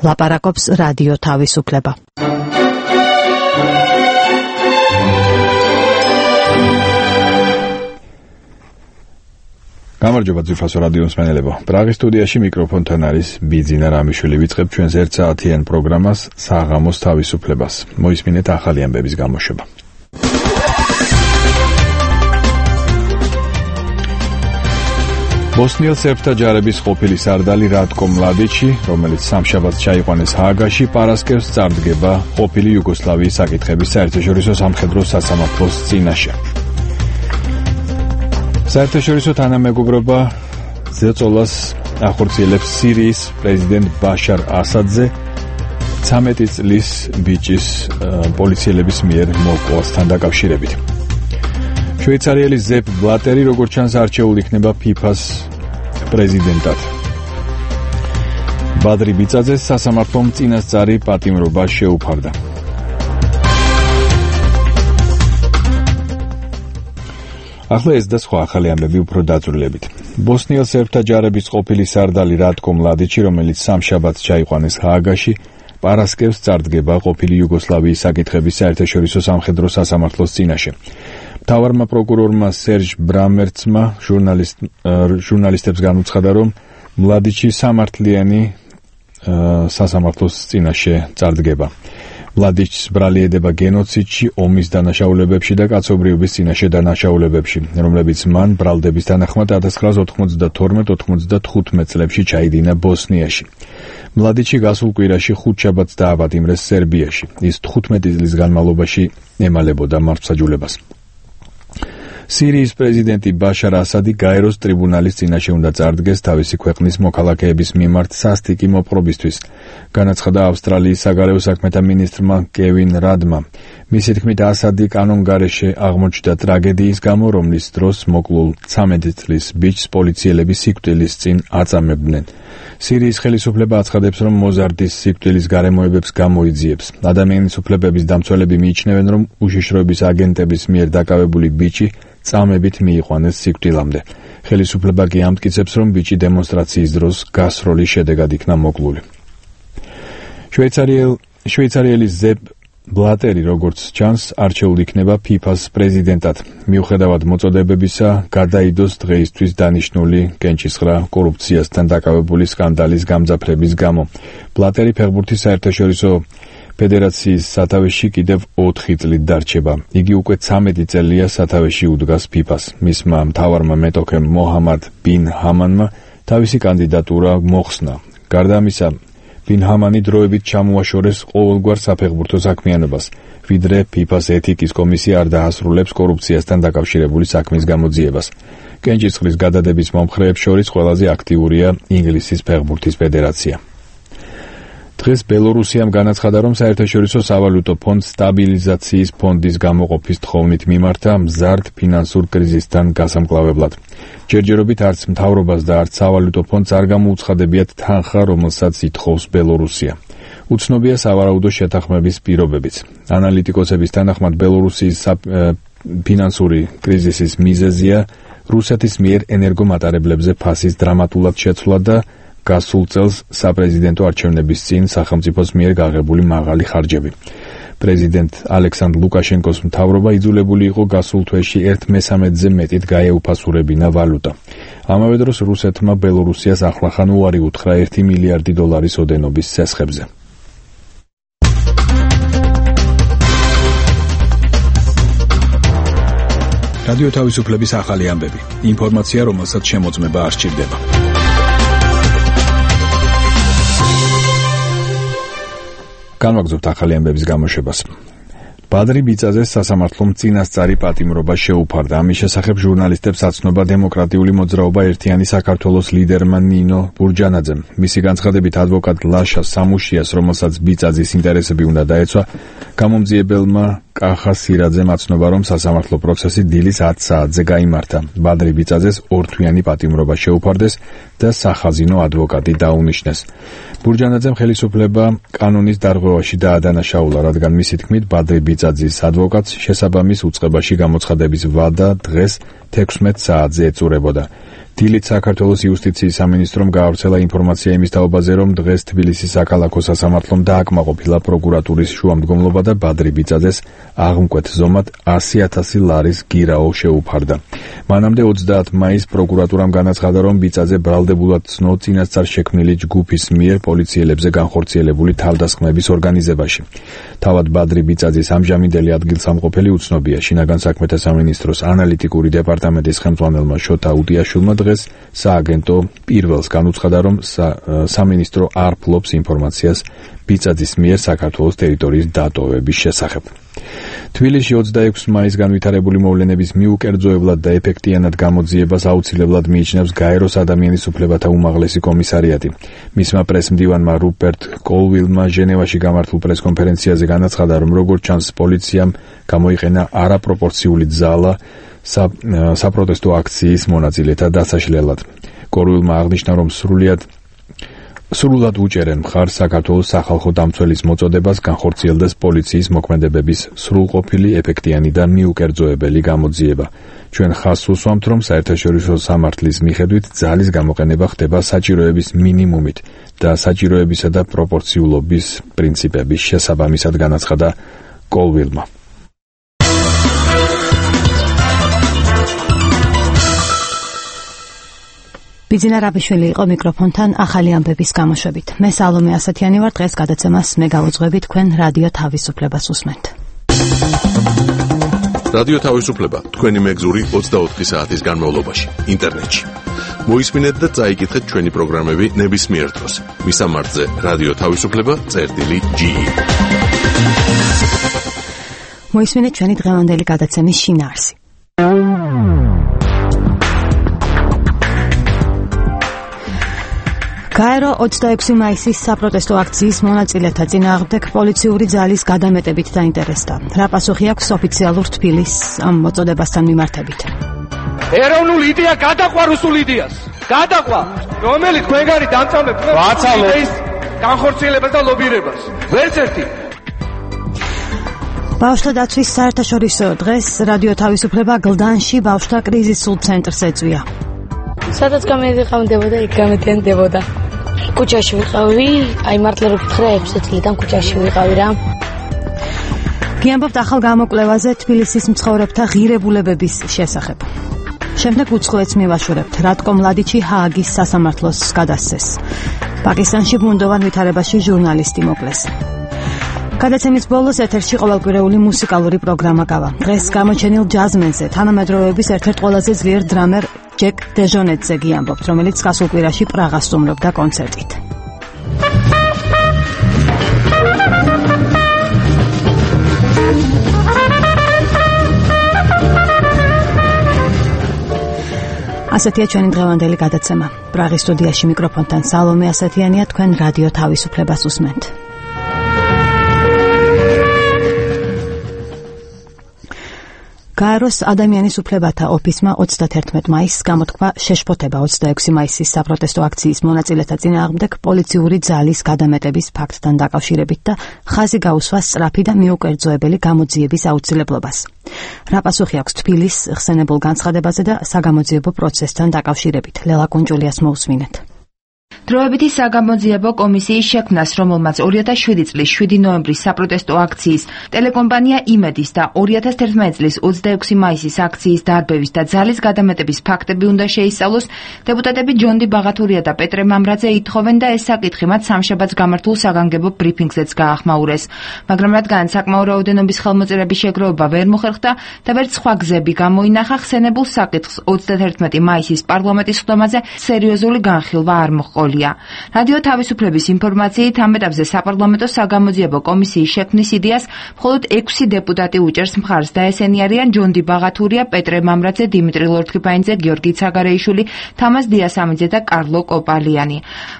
ლაპარაკობს რადიო თავისუფლება. გამარჯობა ძვირფასო რადიო მსმენელებო. პრაღის სტუდიაში მიკროფონთან არის ბიძინა რამიშვილი. ვიწყებ ჩვენს 1 საათიან პროგრამას საღამოს თავისუფლებას. მოისმინეთ ახალი ამბების გამოშვება. ბოსნიელ სერბთა ჯარების ყოფილი სარდალი რატკო მლადიჩი, რომელიც სამშაბათს ჩაიყვანეს ჰააგაში, პარასკევს წარდგება ყოფილი იუგოსლავიის საკითხების საერთაშორისო სამხედრო სასამართლოს წინაშე. საერთაშორისო თანამეგობრობა ზეწოლას ახორციელებს სირიის პრეზიდენტ ბაშარ ასადზე 13 წლის ბიჭის პოლიციელების მიერ მოკვლასთან დაკავშირებით. შვეიცარიელი ზეპ ბლატერი როგორც ჩანს არჩეულ იქნება ფიფას პრეზიდენტად. ბადრი ბიწაძეს სასამართლომ წინასწარი პატიმრობა შეუფარდა. ახლა ეს და სხვა ახალი ამბები უფრო დაწვრილებით. ბოსნიელ სერბთა ჯარების ყოფილი სარდალი რატკო მლადიჩი, რომელიც სამშაბათს ჩაიყვანეს ჰააგაში, პარასკევს წარდგება ყოფილი იუგოსლავიის საკითხების საერთაშორისო სამხედრო სასამართლოს წინაშე. მთავარმა პროკურორმა სერჟ ბრამერცმა ჟურნალისტებს განუცხადა, რომ მლადიჩი სამართლიანი სასამართლოს წინაშე წარდგება. მლადიჩს ბრალი ედება გენოციდში, ომის დანაშაულებებში და კაცობრიობის წინაშე დანაშაულებებში, რომლებიც მან ბრალდების თანახმად 1992-95 წლებში ჩაიდინა ბოსნიაში. მლადიჩი გასულ კვირაში ხუთშაბათს დააპატიმრეს სერბიაში. ის 15 წლის განმავლობაში ემალებოდა მართლმსაჯულებას. სირიის პრეზიდენტი ბაშარ ასადი გაეროს ტრიბუნალის წინაშე უნდა წარდგეს თავისი ქვეყნის მოქალაქეების მიმართ სასტიკი მოპყრობისთვის, განაცხადა ავსტრალიის საგარეო საქმეთა მინისტრმა კევინ რადმა. მისი თქმით, ასადი კანონგარეშე აღმოჩნდა ტრაგედიის გამო, რომლის დროს მოკლულ 13 წლის ბიჭს პოლიციელები სიკვდილის წინ აწამებდნენ. სირიის ხელისუფლება აცხადებს, რომ მოზარდის სიკვდილის გარემოებებს გამოიძიებს. ადამიანის უფლებების დამცველები მიიჩნევენ, რომ უშიშროების აგენტების მიერ დაკავებული ბიჭი წამებით მიიყვანეს სიკვდილამდე. ხელისუფლება კი ამტკიცებს, რომ ბიჭი დემონსტრაციის დროს გასროლის შედეგად იქნა მოკლული. შვეიცარიელი ზეპ ბლატერი, როგორც ჩანს, არჩეულ იქნება ფიფას პრეზიდენტად. მიუხედავად მოწოდებებისა, გადაიდოს დღეისთვის დანიშნული კენჭისყრა კორუფციასთან დაკავებული სკანდალის გამძაფრების გამო. ბლატერი ფეხბურთის საერთაშორისო ფედერაციის სათავეში კიდევ 4 წლით დარჩება. იგი უკვე 13 წელია სათავეში უდგას ფიფას. მისმა მთავარმა მეტოქემ მოჰამად ბინ ჰამანმა თავისი კანდიდატურა მოხსნა. გარდა ამისა, ბინ ჰამანი დროებით ჩამოაშორეს ყოველგვარ საფეხბურთო საქმიანობას, ვიდრე ფიფას ეთიკის კომისია არ დაასრულებს კორუფციასთან დაკავშირებული საქმის გამოძიებას. კენჭისყრის გადადების მომხრეებს შორის ყველაზე აქტიურია ინგლისის ფეხბურთის ფედერაცია. დღეს ბელორუსიამ განაცხადა, რომ საერთაშორისო სავალუტო ფონდს სტაბილიზაციის ფონდის გამოყოფის თხოვნით მიმართა მზარდ ფინანსურ კრიზისთან გასამკლავებლად. ჯერჯერობით არც მთავრობას და არც სავალუტო ფონდს არ გამოუცხადებიათ თანხა, რომელსაც ითხოვს ბელორუსია. უცნობია სავარაუდო შეთანხმების პირობებიც. ანალიტიკოსების თანახმად ბელორუსიის ფინანსური კრიზისის მიზეზია რუსეთის მიერ ენერგომატარებლებზე ფასის დრამატულად შეცვლა და გასულ წელს საპრეზიდენტო არჩევნების წინ სახელმწიფოს მიერ გაღებული მაღალი ხარჯები. პრეზიდენტ ალექსანდრ ლუკაშენკოს მთავრობა იძულებული იყო გასულ თვეში 1/13-ზე მეტით გაეუფასურებინა ვალუტა. ამავე დროს რუსეთმა ბელორუსიას ახლახან უარი უთხრა $1 მილიარდი ოდენობის სესხებზე. რადიო თავისუფლების ახალი ამბები. ინფორმაცია, რომელსაც შემოწმება არ სჭირდება. განვაგრძობთ ახალი ამბების გამოშვებას. ბადრი ბიწაძეს სასამართლომ წინასწარი პატიმრობა შეუფარდა. ამის შესახებ ჟურნალისტებს აცნობა დემოკრატიული მოძრაობა ერთიანი საქართველოს ლიდერმა ნინო ბურჯანაძემ. მისი განცხადებით, ადვოკატ ლაშა სამუშიას, რომელსაც ბიწაძის ინტერესები უნდა დაეცვა, გამომძიებელმა კახა სირაძემ აცნობა, რომ სასამართლო პროცესი დილის 10 საათზე გაიმართა. ბადრი ბიწაძეს ორთვიანი პატიმრობა შეუფარდეს და სახაზინო ადვოკატი დაუნიშნეს. ბურჯანაძემ ხელისუფლება კანონის დარღვევაში დაადანაშაულა, რადგან მისი თქმით ბადრი ბიწაძის ადვოკატს შესაბამის უწყებაში გამოცხადების ვადა დღეს 16 საათზე ეწურებოდა. დილით საქართველოს იუსტიციის სამინისტრომ გაავრცელა ინფორმაცია იმის თაობაზე, რომ დღეს თბილისის საქალაქო სასამართლომ დააკმაყოფილა პროკურატურის შუამდგომლობა და ბადრი ბიწაძეს აღმკვეთ ზომად 100,000 ლარის გირაო შეუფარდა. მანამდე 30 მაისს პროკურატურამ განაცხადა, რომ ბიწაძე ბრალდებულად ცნო წინასწარ შექმნილი ჯგუფის მიერ პოლიციელებზე განხორციელებული თავდასხმების ორგანიზებაში. თავად ბადრი ბიწაძის ამჟამინდელი ადგილსამყოფელი უცნობია. შინაგან საქმეთა სამინისტროს ანალიტიკური დეპარტამენტის ხელმძღვანელმა შოთა უდიაშვილმა დღეს სააგენტო პირველს განუცხადა, რომ სამინისტრო არ ფლობს ინფორმაციას ბიწაძის მიერ საქართველოს ტერიტორიის დატოვების შესახებ. თბილისში 26 მაისს განვითარებული მოვლენების მიუკერძოებლად და ეფექტიანად გამოძიებას აუცილებლად მიიჩნევს გაეროს ადამიანის უფლებათა უმაღლესი კომისარიატი. მისმა პრესმდივანმა რუპერტ კოლვილმა ჟენევაში გამართულ პრესკონფერენციაზე განაცხადა, რომ როგორც ჩანს პოლიციამ გამოიყენა არაპროპორციული ძალა საპროტესტო აქციის მონაწილეთა დასაშლელად. კოლვილმა აღნიშნა, რომ სრულად უჭერენ მხარს საქართველოს სახალხო დამცველის მოწოდებას განხორციელდეს პოლიციის მოქმედებების სრულყოფილი, ეფექტიანი და მიუკერძოებელი გამოძიება. ჩვენ ხაზს უსვამთ, რომ საერთაშორისო სამართლის მიხედვით ძალის გამოყენება ხდება საჭიროების მინიმუმით და საჭიროებისა და პროპორციულობის პრინციპების შესაბამისად, განაცხადა კოლვილმა. ბიძინა რაბიშვილი იყო მიკროფონთან ახალი ამბების გამოშვებით. მე სალომე ასათიანი ვარ, დღეს გადაცემას მე გავუძღვები, თქვენ რადიო თავისუფლებას უსმენთ. რადიო თავისუფლება თქვენი მეგზური 24 საათის განმავლობაში ინტერნეტში. მოისმინეთ და წაიკითხეთ ჩვენი პროგრამები ნებისმიერ დროს. მისამართზე რადიო თავისუფლება.ge. მოისმინეთ ჩვენი დღევანდელი გადაცემის შინაარსი. გაერო 26 მაისის საპროტესტო აქციის მონაწილეთა წინააღმდეგ პოლიციური ძალის გადამეტებით დაინტერესდა. რა პასუხი აქვს ოფიციალურ თბილისს ამ მოწოდებასთან მიმართებით? ეროვნული იდეა გადაყვა რუსულ იდეას. გადაყვა, რომელიც თქვენგანი დამწამებს იდეის განხორციელებას და ლობირებას. ვერც ერთი. ბავშვთა დაცვის საერთაშორისო დღეს რადიო თავისუფლება გლდანში ბავშვთა კრიზისულ ცენტრს ეწვია. სადაც გამედიყავდებოდა, იქ გამეთენდებოდა. კუჩაში ვიყავი, აი მართლა რო გითხრა 6 წლიდან კუჩაში ვიყავი რა. გიამბობთ ახალ გამოკვლევაზე თბილისის მცხოვრებთა ღირებულებების შესახებ. შემდეგ უცხოეთს მივაშორებთ. რატკომ მლადიჩი ჰააგის სასამართლოს გადასცეს. პაკისტანში ბუნდოვან ვითარებაში ჟურნალისტი მოკლეს. გადაცემის ბოლოს ეთერში ყოველკვირეული მუსიკალური პროგრამა გავა. დღეს გამოჩენილ ჯაზმენზე თანამედროვეების ერთ-ერთ ყველაზე ძლიერ დრამერ ჯეკ დეჟონეტზე გიამბობთ, რომელიც გასულ კვირაში პრაღას სტუმრობდა კონცერტით. ასეთია ჩვენი დღევანდელი გადაცემა. პრაღის სტუდიაში მიკროფონთან სალომე ასათიანია, თქვენ რადიო თავისუფლებას უსმენთ. გაეროს ადამიანის უფლებათა ოფისმა 31 მაისს გამოთქვა შეშფოთება 26 მაისის საპროტესტო აქციის მონაწილეთა წინააღმდეგ პოლიციური ძალის გადამეტების ფაქტთან დაკავშირებით და ხაზი გაუსვა სწრაფი და მიუკერძოებელი გამოძიების აუცილებლობას. რა პასუხი აქვს თბილისს ხსენებულ განცხადებაზე და საგამოძიებო პროცესთან დაკავშირებით? ლელა კუნჯულიას მოусმინეთ. დროებითი საგამოძიებო კომისიის შექმნას, რომელმაც 2007 წლის 7 ნოემბრის საპროტესტო აქციის ტელეკომპანია იმედის და 2011 წლის 26 მაისის აქციის დარბევის და ძალის გადამეტების ფაქტები უნდა შეისწავლოს, დეპუტატები ჯონდი ბაღათურია და პეტრე მამრაძე ითხოვენ და ეს საკითხი მათ სამშაბათს გამართულ საგანგებო ბრიფინგზეც გაახმაურეს. მაგრამ რადგან საკმაო რაოდენობის ხელმოწერების შეგროვება ვერ მოხერხდა და ვერც სხვა გზები გამოინახა, ხსენებულ საკითხს 31 მაისის პარლამენტის ხდომაზე სერიოზული განხილვა არ მოჰყოლია. რადიო თავისუფლების ინფორმაციით ამ ეტაპზე საპარლამენტო საგამოძიებო კომისიის შექმნის იდეას მხოლოდ 6 დეპუტატი უჭერს მხარს და ესენი არიან ჯონდი ბაღათურია, პეტრე მამრაძე, დიმიტრი ლორთქიფანიძე, გიორგი ცაგარეიშვილი, თამაზ დიასამიძე და კარლო კოპალიანი.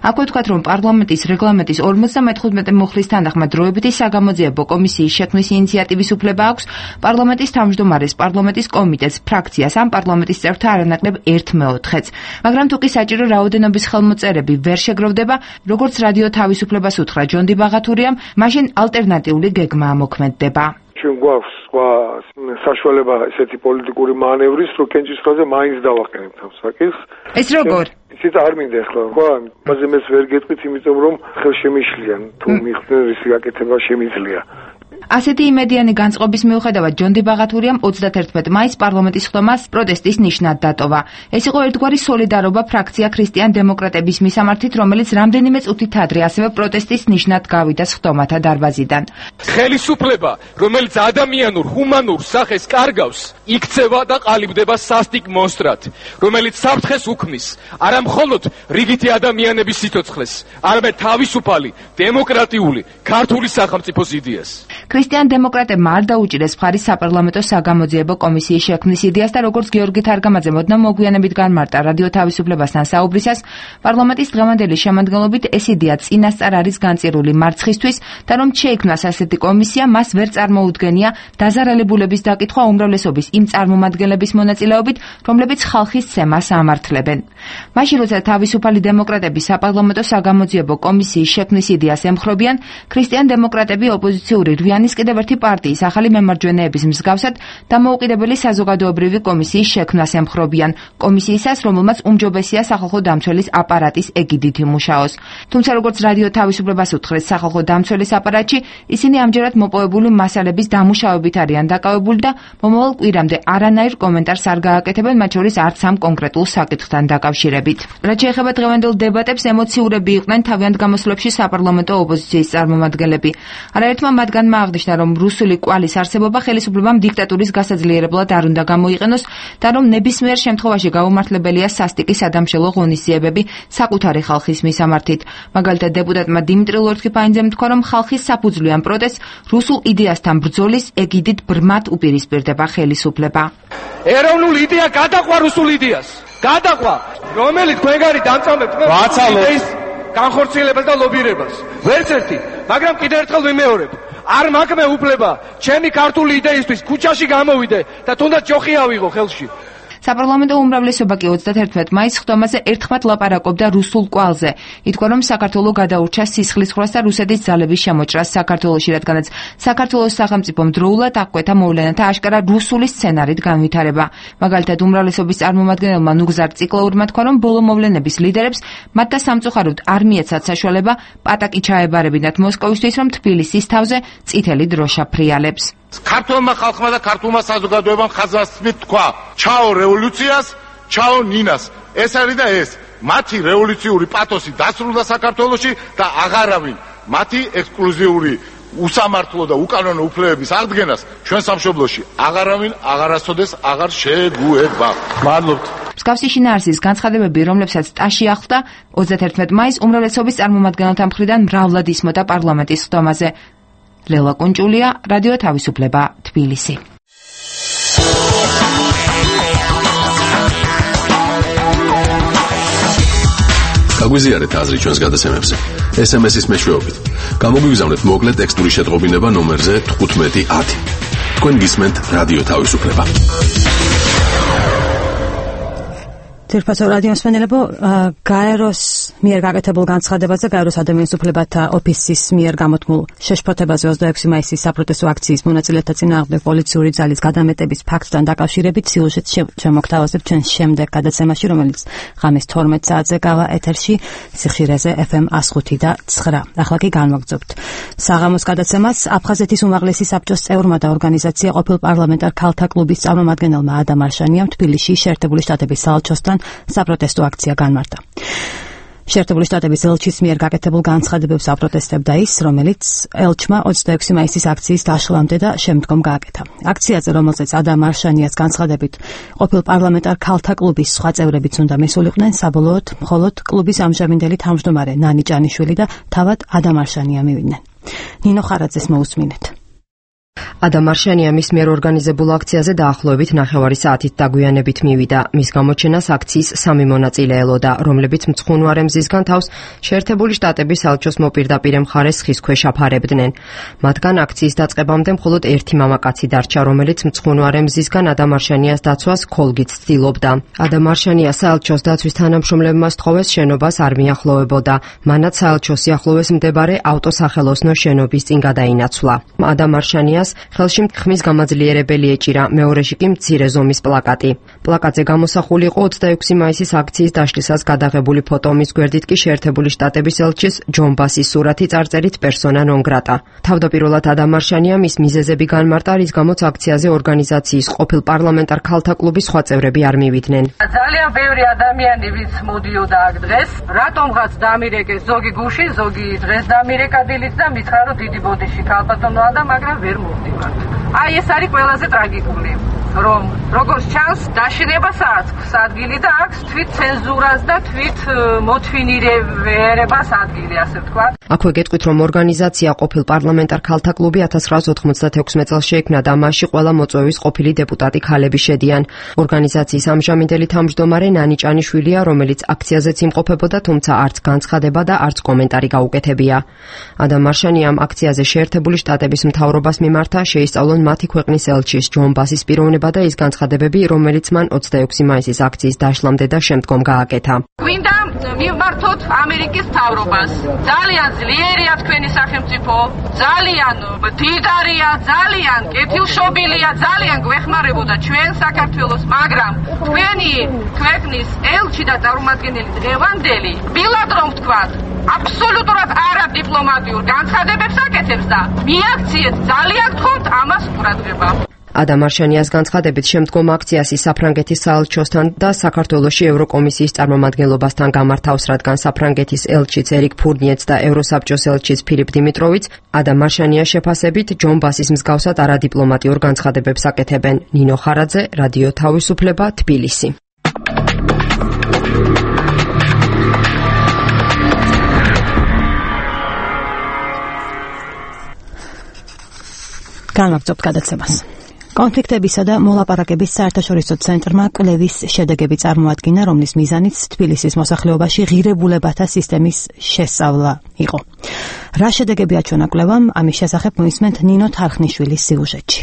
აქვე ვთქვათ, რომ პარლამენტის რეგლამენტის 55 მუხლის თანახმად დროებითი საგამოძიებო კომისიის შექმნის ინიციატივის უფლება აქვს პარლამენტის თავმჯდომარეს, პარლამენტის კომიტეტს, ფრაქციას ან პარლამენტის წევრთა არანაკლებ 1/4-ს. მაგრამ თუ კი საჭირო რაოდენობის ხელმოწერები ვერ შეგროვდება, როგორც რადიო თავისუფლებას უთხრა ჯონდი ბაღათურიამ, მაშინ ალტერნატიული გეგმა ამოქმედდება. ჩვენ გვაქვს სხვა საშუალება ესეთი პოლიტიკური მანევრის, რომ კენჭისყრაზე მაინც დავაყენებთ ამ საკითხს. ეს როგორ? ისიც არ მინდა ახლა, ხო, ამაზე მეც ვერ გეტყვით, იმიტომ რომ ხელშემიშლიან, თუ მიხდნენ რის გაკეთება შემიძლია. ასეთი იმედიანი განწყობის მიუხედავად ჯონდი ბაღათურიამ 31 მაისს პარლამენტის ხდომას პროტესტის ნიშნად დატოვა. ეს იყო ერთგვარი სოლიდარობა ფრაქცია ქრისტიან დემოკრატების მისამართით, რომელიც რამდენიმე წუთით ადრე ასევე პროტესტის ნიშნად გავიდა ხდომათა დარბაზიდან. ხელისუფლება, რომელიც ადამიანურ, ჰუმანურ სახეს კარგავს, იქცევა და ყალიბდება სასტიკ მონსტრად, რომელიც საფრთხეს უქმნის არა მხოლოდ რიგითი ადამიანების სიცოცხლეს, არამედ თავისუფალი, დემოკრატიული, ქართული სახელმწიფოს იდეას. ქრისტიან დემოკრატებმა არ დაუჭირეს მხარი საპარლამენტო საგამოძიებო კომისიის შექმნის იდეას და როგორც გიორგი თარგამაძე მოდნა მოგვიანებით განმარტა რადიო თავისუფლებასთან საუბრისას, პარლამენტის დღევანდელი შემადგენლობით ეს იდეა წინასწარ არის განწირული მარცხისთვის და რომ შეიქმნას ასეთი კომისია, მას ვერ წარმოუდგენია დაზარალებულების დაკითხვა უმრავლესობის იმ წარმომადგენლების მონაწილეობით, რომლებიც ხალხის ცემას ამართლებენ. მაშინ როცა თავისუფალი დემოკრატები საპარლამენტო საგამოძიებო კომისიის შექმნის იდეას ემხრობიან, ქრისტიან დემოკრატები ოპოზიციური რვიანის კიდევ ერთი პარტიის ახალი მემარჯვენეების მსგავსად დამოუკიდებელი საზოგადოებრივი კომისიის შექმნას ემხრობიან, კომისიისას, რომელმაც უმჯობესია სახალხო დამცველის აპარატის ეგიდით იმუშაოს. თუმცა როგორც რადიო თავისუფლებას უთხრეს სახალხო დამცველის აპარატში, ისინი ამჯერად მოპოვებული მასალების დამუშავებით არიან დაკავებული და მომავალ კვირამდე არანაირ კომენტარს არ გააკეთებენ, მათ შორის არც ამ კონკრეტულ საკითხთან დაკავშირებით. რაც შეეხება დღევანდელ დებატებს, ემოციურები იყვნენ თავიანთ გამოსვლებში საპარლამენტო ოპოზიციის წარმომადგენლები. არაერთმა მათგანმა აღნიშნა, რომ რუსული კვალის არსებობა ხელისუფლებამ დიქტატურის გასაძლიერებლად არ უნდა გამოიყენოს და რომ ნებისმიერ შემთხვევაში გაუმართლებელია სასტიკი სადამშელო ღონისძიებები საკუთარი ხალხის მისამართით. მაგალითად, დეპუტატმა დიმიტრი ლორთქიფაინძემ თქვა, რომ ხალხის საფუძვლიან პროტესტს რუსულ იდეასთან ბრძოლის ეგიდით ბრმად უპირისპირდება ხელისუფლება. ეროვნული იდეა გადაყვა რუსულ იდეას. გადაყვა, რომელიც თქვენგანი დამწამებთ იდეის განხორციელებას და ლობირებას. ვერც ერთი, მაგრამ კიდევ ერთხელ ვიმეორებ. არ მაქვს უფლება ჩემი ქართული იდეისთვის ქუჩაში გამოვიდე და თუნდაც ჯოხი ავიღო ხელში. საპარლამენტო უმრავლესობა კი 31 მაისს ხდომაზე ერთხმად ლაპარაკობდა რუსულ კვალზე. ითქვა, რომ საქართველო გადაურჩა სისხლისღვრას და რუსეთის ძალების შემოჭრას საქართველოში, რადგანაც საქართველოს სახელმწიფომ დროულად აღკვეთა მოვლენათა აშკარა რუსული სცენარით განვითარება. მაგალითად, უმრავლესობის წარმომადგენელმა ნუგზარ ციკლაურმა თქვა, რომ ბოლო მოვლენების ლიდერებს მათ და სამწუხაროდ არ მიეცათ საშუალება პატაკი ჩაებარებინათ მოსკოვისთვის, რომ თბილისის თავზე წითელი დროშა ფრიალებს. ქართულმა ხალხმა და ქართულმა საზოგადოებამ ხაზგასმით თქვა: ჩაო რევოლუციას, ჩაო ნინას. ეს არის და ეს. მათი რევოლუციური პათოსი დასრულდა საქართველოში და აღარავინ მათი ექსკლუზიური უსამართლო და უკანონო უფლებების აღდგენას ჩვენ სამშობლოში აღარავინ აღარასოდეს აღარ შეგუება. მადლობთ. მსგავსი შინაარსის განცხადებები, რომლებსაც ტაში ახლდა 31 მაისს უმრავლესობის წარმომადგენელთა მხრიდან მრავლად ისმოდა პარლამენტის ხდომაზე. ლელა კუნჭულია, რადიო თავისუფლება, თბილისი. გაგვიზიარეთ აზრი ჩვენს გადაცემებზე. SMS-ის მეშვეობით. გამოგვიგზავნეთ მოკლე ტექსტური შეტყობინება ნომერზე 1510. თქვენ გისმენთ რადიო თავისუფლება. თირფასო რადიო მსმენელებო, გაეროს მიერ გაკეთებულ განცხადებაზე, გაეროს ადამიანის უფლებათა ოფისის მიერ გამოთქმულ შეშფოთებაზე 26 მაისის საპროტესტო აქციის მონაწილეთა წინააღმდეგ პოლიციური ძალის გადამეტების ფაქტთან დაკავშირებით სიუჟეტს შემოგთავაზებთ ჩვენ შემდეგ გადაცემაში, რომელიც ღამის 12 საათზე გავა ეთერში სიხშირეზე FM 105 და 9. ახლა კი განვაგრძობთ საღამოს გადაცემას. აფხაზეთის უმაღლესი საბჭოს წევრმა და ორგანიზაცია ყოფილ პარლამენტარ ქალთა კლუბის წარმომადგენელმა ადამ არშანიამ თბილისში შეერთებული შტატების საელჩოსთან საპროტესტო აქცია განმარტა. შეერთებული შტატების ელჩის მიერ გაკეთებულ განცხადებებს აპროტესტებდა ის, რომელიც ელჩმა 26 მაისის აქციის დაშლამდე და შემდგომ გააკეთა. აქციაზე, რომელზეც ადამ არშანიას განცხადებით ყოფილ პარლამენტარ ქალთა კლუბის სხვა წევრებიც უნდა მისულიყვნენ, საბოლოოდ მხოლოდ კლუბის ამჟამინდელი თავმჯდომარე ნანი ჭანიშვილი და თავად ადამ არშანია მივიდნენ. ნინო ხარაძეს მოусმინეთ. ადამ არშანია მის მიერ ორგანიზებულ აქციაზე დაახლოებით 9 საათით დაგვიანებით მივიდა. მის გამოჩენას აქციის 3 მონაწილე ელოდა, რომლებიც მცხუნვარე მზისგან თავს შეერთებული შტატების საელჩოს მოპირდაპირე მხარეს ხის ქვეშ აფარებდნენ. მათგან აქციის დაწყებამდე მხოლოდ ერთი მამაკაცი დარჩა, რომელიც მცხუნვარე მზისგან ადამ არშანიას დაცვას ქოლგით ცდილობდა. ადამ არშანია საელჩოს დაცვის თანამშრომლებმა სთხოვეს შენობას არ მიახლოვებოდა. მანაც საელჩოს სიახლოვეს მდებარე ავტოსახელოსნო შენობის წინ გადაინაცვლა. ადამ არშანია დამარშანიას ხელში ხმის გამაძლიერებელი ეჭირა, მეორეში კი მცირე ზომის პლაკატი. პლაკატზე გამოსახული იყო 26 მაისის აქციის დაშლისას გადაღებული ფოტო, მის გვერდით კი შეერთებული შტატების ელჩის ჯონ ბასის სურათი წარწერით პერსონა ნონ გრატა. თავდაპირველად დამარშანიამ ის მიზეზები განმარტა, რის გამოც აქციაზე ორგანიზაციის ყოფილ პარლამენტარ ქალთა კლუბის სხვა წევრები არ მივიდნენ. ძალიან ბევრი ადამიანი ვის მოდიოდა აქ დღეს, რატომღაც დამირეკეს ზოგი გუში, ზოგი დღეს დამირეკა დილით და მითხრა რომ დიდი ბოდიში ქალბატონოა და მაგრამ ვერ მოვდივართ. აი ეს არის ყველაზე ტრაგიკული, რომ როგორც ჩანს დაშინებასაც ადგილი და აქვს თვით ცენზურას და თვით მოთვინირებას ადგილი, ასე ვთქვათ. აქვე გეტყვით, რომ ორგანიზაცია ყოფილ პარლამენტარ ქალთა კლუბი 1996 წელს შეიქმნა და მასში ყველა მოწვევის ყოფილი დეპუტატი ქალები შედიან. ორგანიზაციის ამჟამინდელი თავმჯდომარე ნანი ჭანიშვილია, რომელიც აქციაზეც იმყოფებოდა, თუმცა არც განცხადება და არც კომენტარი გაუკეთებია. ადამ მარშანიამ აქციაზე შეერთებული შტატების მთავრობას მიმართა, შეისწავლონ მათი ქვეყნის ელჩის ჯონ ბასის პიროვნება და ის განცხადებები, რომელიც მან 26 მაისის აქციის დაშლამდე და შემდგომ გააკეთა. გვინდა მივმართოთ ამერიკის მთავრობას. ძალიან ძლიერია თქვენი სახელმწიფო, ძალიან მდიდარია, ძალიან კეთილშობილია, ძალიან გვეხმარებოდა ჩვენ საქართველოს, მაგრამ თქვენი ქვეყნის ელჩი და წარმომადგენელი დღევანდელი, ბილად რომ ვთქვათ, აბსოლუტურად არადიპლომატიურ განცხადებებს აკეთებს და მიაქციეთ, ძალიან გთხოვთ ამას ყურადღება. ადამ მარშანიას განცხადებით შემდგომ აქციას საფრანგეთის საელჩოსთან და საქართველოში ევროკომისიის წარმომადგენლობასთან გამართავს, რადგან საფრანგეთის ელჩიც ერიკ ფურნიეც და ევროსაბჭოს ელჩიც ფილიპ დიმიტროვიც ადამ მარშანიას შეფასებით ჯონ ბასის მსგავსად არადიპლომატიურ განცხადებებს აკეთებენ. ნინო ხარაძე, რადიო თავისუფლება, თბილისი. განვაგრძობთ გადაცემას. კონფლიქტებისა და მოლაპარაკების საერთაშორისო ცენტრმა კვლევის შედეგები წარმოადგინა, რომლის მიზანიც თბილისის მოსახლეობაში ღირებულებათა სისტემის შესწავლა იყო. რა შედეგები აჩვენა კვლევამ, ამის შესახებ მოისმენთ ნინო თარხნიშვილის სიუჟეტში.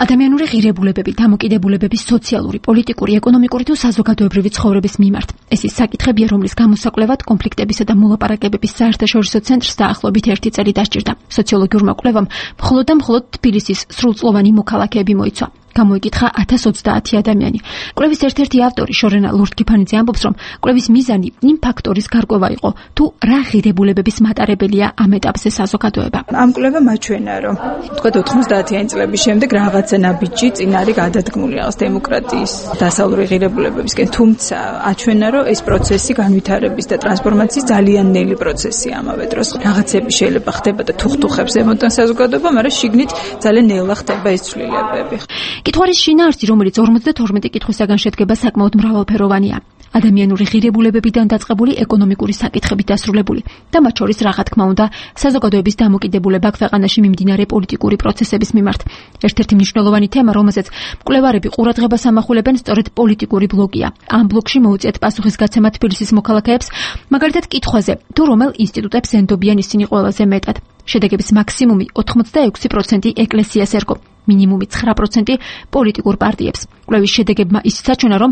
ადამიანური ღირებულებები, დამოკიდებულებების სოციალური, პოლიტიკური, ეკონომიკური თუ საზოგადოებრივი ცხოვრების მიმართ. ეს ის საკითხებია, რომლის გამოსაკვლევად კონფლიქტებისა და მოლაპარაკებების საერთაშორისო ცენტრს დაახლოებით 1 წელი დასჭირდა. სოციოლოგიურმა კვლევამ მხოლოდ თბილისის სრულწლოვანი მოქალაქეები მოიცვა. გამოიკითხა 1030 ადამიანი. კვლევის ერთ-ერთი ავტორი შორენა ლურდ-კიფანიძე ამბობს, რომ კვლევის მიზანი იმ ფაქტორის გარკვევა იყო, თუ რა ღირებულებების მატარებელია ამ ეტაპზე საზოგადოება. ამ კვლევამ აჩვენა, რომ თქვათ 90-იანი წლების შემდეგ რაღაცა ნაბიჯი წინ არის გადადგმული რაღაც დემოკრატიის დასავლური ღირებულებებისკენ, თუმცა აჩვენა, რომ ეს პროცესი განვითარების და ტრანსფორმაციის ძალიან ნელი პროცესია ამავე დროს. რაღაცები შეიძლება ხდება და თუხთუხებს ემოტან საზოგადოება, მაგრამ შიგნით ძალიან ნელა ხდება ეს ცვლილებები. კითხვარის შინაარსი, რომელიც 52 კითხვისაგან შედგება, საკმაოდ მრავალფეროვანია. ადამიანური ღირებულებებიდან დაწყებული ეკონომიკური საკითხებით დასრულებული და მათ შორის რა თქმა უნდა საზოგადოების დამოკიდებულება ქვეყანაში მიმდინარე პოლიტიკური პროცესების მიმართ. ერთ-ერთი მნიშვნელოვანი თემა, რომელზეც მკვლევარები ყურადღებას ამახვილებენ, სწორედ პოლიტიკური ბლოკია. ამ ბლოკში მოუწიათ პასუხისგაცემა თბილისის მოქალაქეებს, მაგალითად კითხვაზე, თუ რომელ ინსტიტუტებს ენდობიან ისინი ყველაზე მეტად. შედეგების მაქსიმუმი 86% ეკლესიას ერგო, მინიმუმი 9% პოლიტიკურ პარტიებს. კვლევის შედეგებმა ისიც აჩვენა, რომ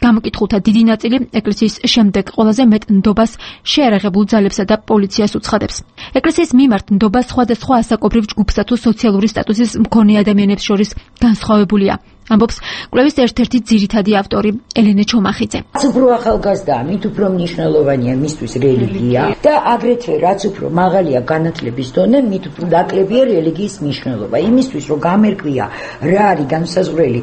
გამოკითხულთა დიდი ნაწილი ეკლესიის შემდეგ ყველაზე მეტ ნდობას შეერაღებულ ძალებსა და პოლიციას უცხადებს. ეკლესიის მიმართ ნდობა სხვადასხვა ასაკობრივ ჯგუფსა თუ სოციალური სტატუსის მქონე ადამიანებს შორის განსხვავებულია. ამბობს კვლევის ერთ-ერთი ძირითადი ავტორი ელენე ჩომახიძე. უფრო ახალგაზრდა, მით უფრო მნიშვნელოვანია მისთვის რელიგია და აგრეთვე რაც უფრო მაღალია განათლების დონე, მით უფრო ნაკლებია რელიგიის მნიშვნელობა. იმისთვის რომ გამერკვია რა არის განსაზღვრელი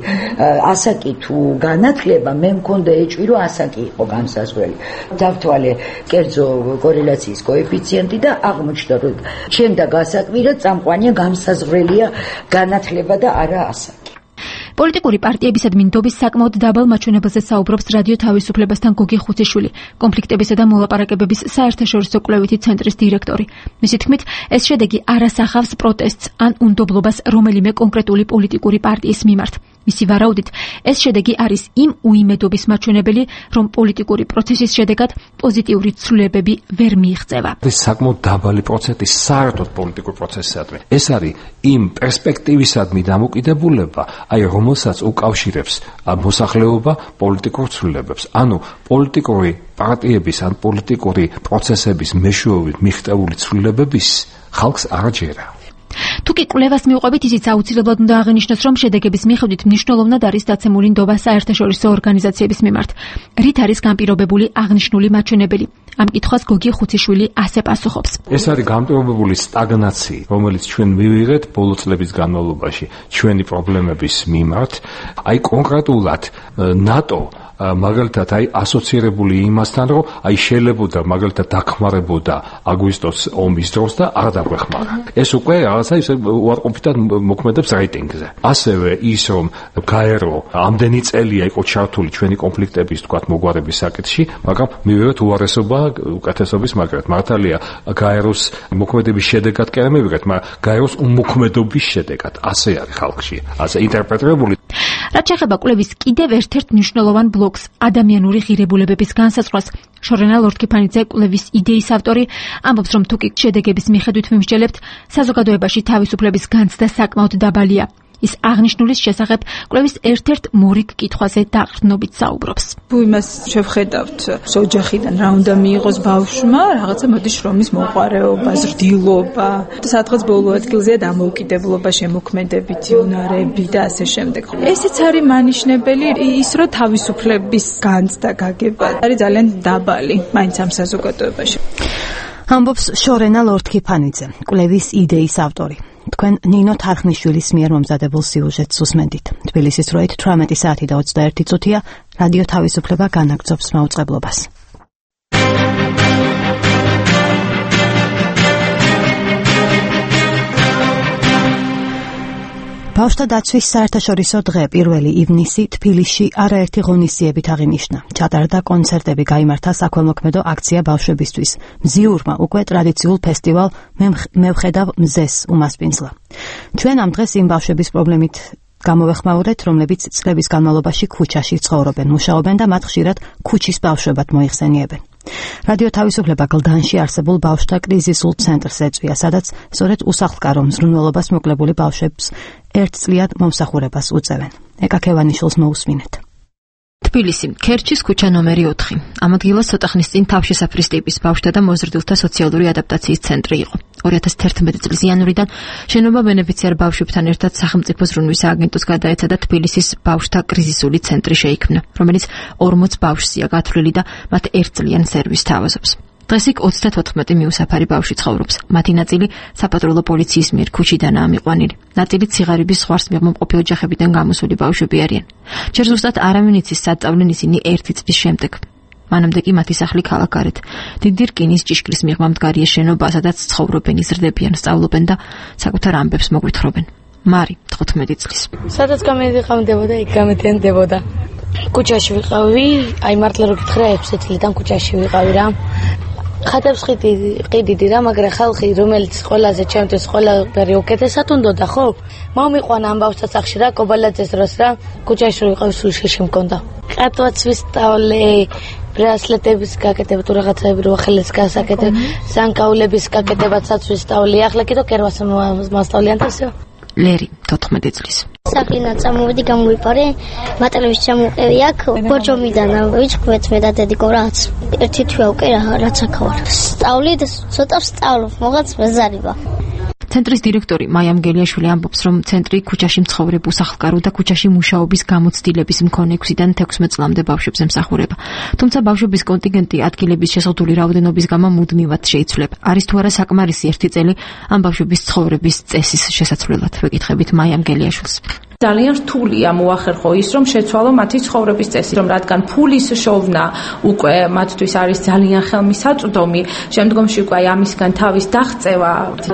ასაკი თუ განათლება, მე მქონდა ეჭვი რომ ასაკი იყო განსაზღვრელი. დავთვალე კერძო კორელაციის კოეფიციენტი და აღმოჩნდა რომ ჩემდა გასაკვირად წამყვანია განსაზღვრელია განათლება და არა ასაკი. პოლიტიკური პარტიებისადმი ნდობის საკმაოდ დაბალ მაჩვენებელზე საუბრობს რადიო თავისუფლებასთან გოგი ხუციშვილი, კონფლიქტებისა და მოლაპარაკებების საერთაშორისო კვლევითი ცენტრის დირექტორი. მისი თქმით, ეს შედეგი არ ასახავს პროტესტს ან უნდობლობას რომელიმე კონკრეტული პოლიტიკური პარტიის მიმართ. მისი ვარაუდით, ეს შედეგი არის იმ უიმედობის მაჩვენებელი, რომ პოლიტიკური პროცესის შედეგად პოზიტიური ცვლილებები ვერ მიიღწევა. ეს საკმაოდ დაბალი პროცენტი საერთოდ პოლიტიკურ პროცესისადმი. ეს არის იმ პერსპექტივისადმი დამოკიდებულება, აი რომელსაც უკავშირებს მოსახლეობა პოლიტიკურ ცვლილებებს. ანუ პოლიტიკური პარტიების ან პოლიტიკური პროცესების მეშვეობით მიღწეული ცვლილებების ხალხს არ ჯერა. თუ კი კვლევას მივყვებით, ისიც აუცილებლად უნდა აღინიშნოს, რომ შედეგების მიხედვით მნიშვნელოვნად არის დაცემული ნდობა საერთაშორისო ორგანიზაციების მიმართ, რით არის განპირობებული აღნიშნული მაჩვენებელი. ამ კითხვას გოგი ხუციშვილი ასე პასუხობს. ეს არის განპირობებული სტაგნაციით, რომელიც ჩვენ მივიღეთ ბოლო წლების განმავლობაში ჩვენი პრობლემების მიმართ, აი კონკრეტულად ნატო მაგალითად ასოცირებული იმასთან, რომ შეიძლებოდა მაგალითად დახმარებოდა აგვისტოს ომის დროს და არ დაგვეხმარა. ეს უკვე რაღაცა ისე უარყოფითად მოქმედებს რეიტინგზე. ასევე ის, რომ გაერო ამდენი წელია იყო ჩართული ჩვენი კონფლიქტების თქვათ მოგვარების საკითხში, მაგრამ მივიღეთ უარესობა უკეთესობის მაგრად. მართალია გაეროს მოქმედების შედეგად კი არ მივიღეთ, მაგრამ გაეროს უმოქმედობის შედეგად. ასე არის ხალხში, ასე ინტერპრეტირებული. რაც შეეხება კვლევის კიდევ ერთ-ერთ მნიშვნელოვან ბლოკს, ადამიანური ღირებულებების განსაზღვრას, შორენა ლორთქიფანიძე, კვლევის იდეის ავტორი, ამბობს, რომ თუკი შედეგების მიხედვით ვიმსჯელებთ, საზოგადოებაში თავისუფლების განცდა საკმაოდ დაბალია. ის აღნიშნულის შესახებ კვლევის ერთ-ერთ მორიგ კითხვაზე დაყრდნობით საუბრობს. თუ იმას შევხედავთ, ოჯახიდან რა უნდა მიიღოს ბავშვმა, რაღაცა მოდის შრომის მოყვარეობა, ზრდილობა, სადღაც ბოლო ადგილზეა დამოუკიდებლობა, შემოქმედებითი უნარები და ასე შემდეგ. ესეც არის მანიშნებელი, ის რომ თავისუფლების განცდა გაგება არის ძალიან დაბალი მაინც ამ საზოგადოებაში. ამბობს შორენა ლორთქიფანიძე, კვლევის იდეის ავტორი. თქვენ ნინო თარხნიშვილის მიერ მომზადებულ სიუჟეტს უსმენდით. თბილისის დროით 18 საათი და 21 წუთია, რადიო თავისუფლება განაგრძობს მაუწყებლობას. ბავშვთა დაცვის საერთაშორისო დღე 1 ივნისი თბილისში არაერთი ღონისძიებით აღინიშნა. ჩატარდა კონცერტები, გაიმართა საქველმოქმედო აქცია ბავშვებისთვის. მზიურმა უკვე ტრადიციულ ფესტივალ მევხედავ მზეს უმასპინძლა. ჩვენ ამ დღეს იმ ბავშვების პრობლემით გამოვეხმაურეთ, რომლებიც წლების განმავლობაში ქუჩაში ცხოვრობენ, მუშაობენ და მათ ხშირად ქუჩის ბავშვებად მოიხსენიებენ. რადიო თავისუფლება გლდანში არსებულ ბავშვთა კრიზისულ ცენტრს ეწვია, სადაც სწორედ უსახლკარო მზრუნველობას მოკლებული ბავშვებს ერთწლიან მომსახურებას უწევენ. ეკა ქევანიშვილს მოусმინეთ. თბილისი, ქერჩის ქუჩა ნომერი 4. ამ ადგილას ცოტა ხნის წინ თავშესაფრის ტიპის ბავშვთა და მოზრდილთა სოციალური ადაპტაციის ცენტრი იყო. 2011 წლის იანვრიდან შენობა ბენეფიციარ ბავშვებთან ერთად სახელმწიფო ზრუნვის ააგენტოს გადაეცა და თბილისის ბავშვთა კრიზისული ცენტრი შეიქმნა, რომელიც 40 ბავშვია გათვლილი და მათ ერთწლიან სერვისს თავაზობს. დღეს იქ 34 მიუსაფარი ბავშვი ცხოვრობს. მათი ნაწილი საპატრულო პოლიციის მიერ ქუჩიდანაა მიყვანილი. ნაწილი ციღარიბის ზღვარს მიღმომყოფი ოჯახებიდან გამოსული ბავშვები არიან. ჯერ ზუსტად არავინ იცის, სად წავდნენ ისინი 1 წლის შემდეგ. მანამდე კი მათი სახლი ქალაქარეთ. დიდი რკინის ჭიშკრის მიღმა მდგარია შენობა, სადაც ცხოვრობენ, იზრდებიან, სწავლობენ და საკუთარ ამბებს მოგვითხრობენ. მარი, 15 წლის. სადაც გამედიყავდებოდა, იქ გამეთენდებოდა. ქუჩაში ვიყავი, აი მართლა რო გითხრა 6 წლიდან ქუჩაში ვიყავი რა. ხატებს ყიდიდი რა, მაგრამ ხალხი, რომელიც ყველაზე ჩემთვის ყველაფერი უკეთესად უნდოდა, ხო? მომიყვანა ამ ბავშვთა სახლში რა, კობალაძეს დროს რა, ქუჩაში ვიყავი, სულ შეში მქონდა. ყატვაც ვისწავლე, ბრასლეტების გაკეთება თუ რაღაცები რო ხელის გასაკეთება, სანკაულების გაკეთებაცაც ვისწავლე. ახლა კიდო კერვას მასწავლიან თასო. ლერი, 14 წლის. საყინაცა მოვიდი გამოვიპარე, მატარების ჩამოვყევი აქ, ბორჯომიდან ვიჩქვეთ მე და დედიკო რაც. ერთი თვე უკვე რაც აქავარ. სწავლი და ცოტა ვსწავლობ, მოღაც მეზარება. ცენტრის დირექტორი მაია მგელიაშვილი ამბობს, რომ ცენტრი ქუჩაში მცხოვრებ უსახლკარო და ქუჩაში მუშაობის გამოცდილების მქონე 6-დან 16 წლამდე ბავშვებს ემსახურება. თუმცა ბავშვების კონტინგენტი ადგილების შეზღუდული რაოდენობის გამო მუდმივად შეიცვლება. არის თუ არა საკმარისი 1 წელი ამ ბავშვების ცხოვრების წესის შესაცვლელად, ვეკითხებით მაია მგელიაშვილს. ძალიან რთულია მოახერხო ის, რომ შეცვალო მათი ცხოვრების წესი, რომ რადგან ფულის შოვნა უკვე მათთვის არის ძალიან ხელმისაწვდომი, შემდგომში უკვე ამისგან თავის დაღწევა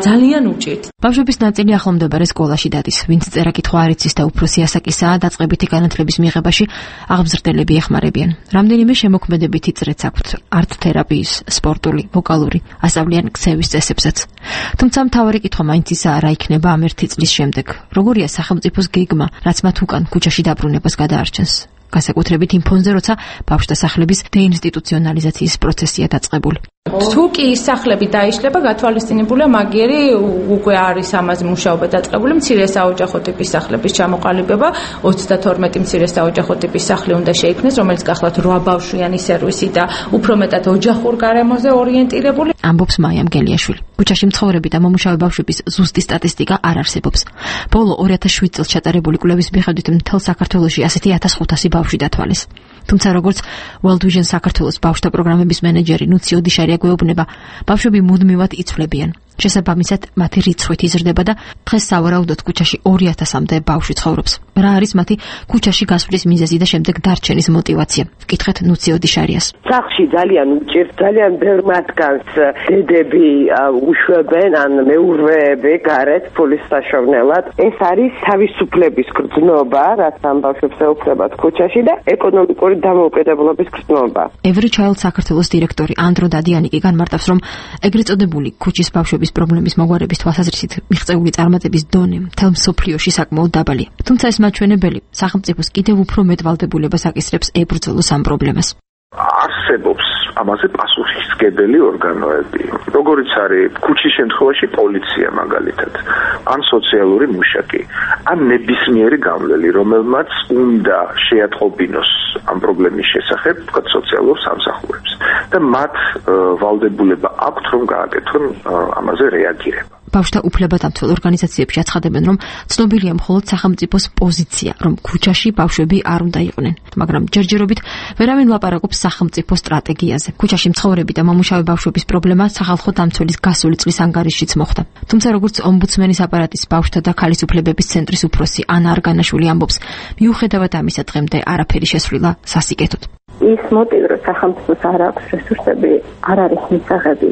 ძალიან უჭირთ. ბავშვების ნაწილი ახლომდებარე სკოლაში დადის, ვინც წერა-კითხვა არ იცის და უფროსი ასაკისაა, დაწყებითი განათლების მიღებაში აღზრდელები ეხმარებიან. რამდენიმე შემოქმედებითი წრეც აქვთ, არტ-თერაპიის, სპორტული, ვოკალური, ასწავლიან ქცევის წესებსაც. თუმცა მთავარი კითხვა მაინც ისაა, რა იქნება ამ 1 წლის შემდეგ. როგორია სახელმწიფოს გეგმა, რაც მათ უკან ქუჩაში დაბრუნებას გადაარჩენს. განსაკუთრებით იმ ფონზე, როცა ბავშვთა სახლების დეინსტიტუციონალიზაციის პროცესია დაწყებული. თუ კი ის სახლები დაიშლება, გათვალისწინებულია მაგიერი უკვე არის ამაზე მუშაობა დაწყებული, მცირე საოჯახო ტიპის სახლების ჩამოყალიბება, 32 მცირე საოჯახო ტიპის სახლი უნდა შეიქმნეს, რომელიც გახლავთ 8 ბავშვიანი სერვისი და უფრო მეტად ოჯახურ გარემოზე ორიენტირებული. ამბობს მაიამ გელიაშვილი. ქუჩაში მცხოვრები და მომუშავე ბავშვების ზუსტი სტატისტიკა არ არსებობს. ბოლო 2007 წელს ჩატარებული კვლევის მიხედვით მთელ საქართველოში ასეთი 1500 ბავშვი დათვალეს. თუმცა როგორც World Vision საქართველოს ბავშვთა პროგრამების მენეჯერი ნუციო დიშარია გვეუბნება, ბავშვები მუდმივად იცვლებიან. შესაბამისად, მათი რიცხვით იზრდება და დღეს სავარაუდოდ ქუჩაში 2000-მდე ბავშვი ცხოვრობს. რა არის მათი ქუჩაში გასვლის მიზეზი და შემდეგ დარჩენის мотиваცია? ვკითხეთ ნუციო დიშარიას. სახლში ძალიან უჭირს, ძალიან ბევრ მათგანს დედები უშვებენ, ან მეურვეები გარეთ ფულის საშოვნელად. ეს არის თავისუფლების გრძნობა, რაც ამ ბავშვებს ეუფლებათ ქუჩაში და ეკონომიკური დამოუკიდებლობის გრძნობა. Every Child საქართველოს დირექტორი ანდრო დადიანიკი განმარტავს, რომ ეგრეთ წოდებული ქუჩის ბავშვების პრობლემის მოგვარების თვალსაზრისით მიღწეული წარმატების დონე მთელ მსოფლიოში საკმაოდ დაბალია. თუმცა ეს მაჩვენებელი სახელმწიფოს კიდევ უფრო მეტ ვალდებულებას აკისრებს ებრძოლოს ამ პრობლემას. არსებობს ამაზე პასუხისმგებელი ორგანოები, როგორიც არის ქუჩის შემთხვევაში პოლიცია მაგალითად, ან სოციალური მუშაკი, ან ნებისმიერი გამვლელი, რომელმაც უნდა შეატყობინოს ამ პრობლემის შესახებ სოციალურ სამსახურებს და მათ ვალდებულება აქვთ, რომ გააკეთონ ამაზე რეაგირება. ბავშვთა უფლებადამცველ ორგანიზაციებში აცხადებენ, რომ ცნობილია მხოლოდ სახელმწიფოს პოზიცია, რომ ქუჩაში ბავშვები არ უნდა იყვნენ, მაგრამ ჯერჯერობით ვერავინ ლაპარაკობს სახელმწიფო სტრატეგიაზე. ქუჩაში მცხოვრები და მომუშავე ბავშვების პრობლემა სახალხო დამცველის გასული წლის ანგარიშშიც მოხვდა. თუმცა როგორც ომბუდსმენის აპარატის ბავშვთა და ქალის უფლებების ცენტრის უფროსი ანა არგანაშვილი ამბობს, მიუხედავად ამისა დღემდე არაფერი შესრულა სასიკეთოდ. ის მოტივი, რომ სახელმწიფოს არ აქვს რესურსები, არ არის მისაღები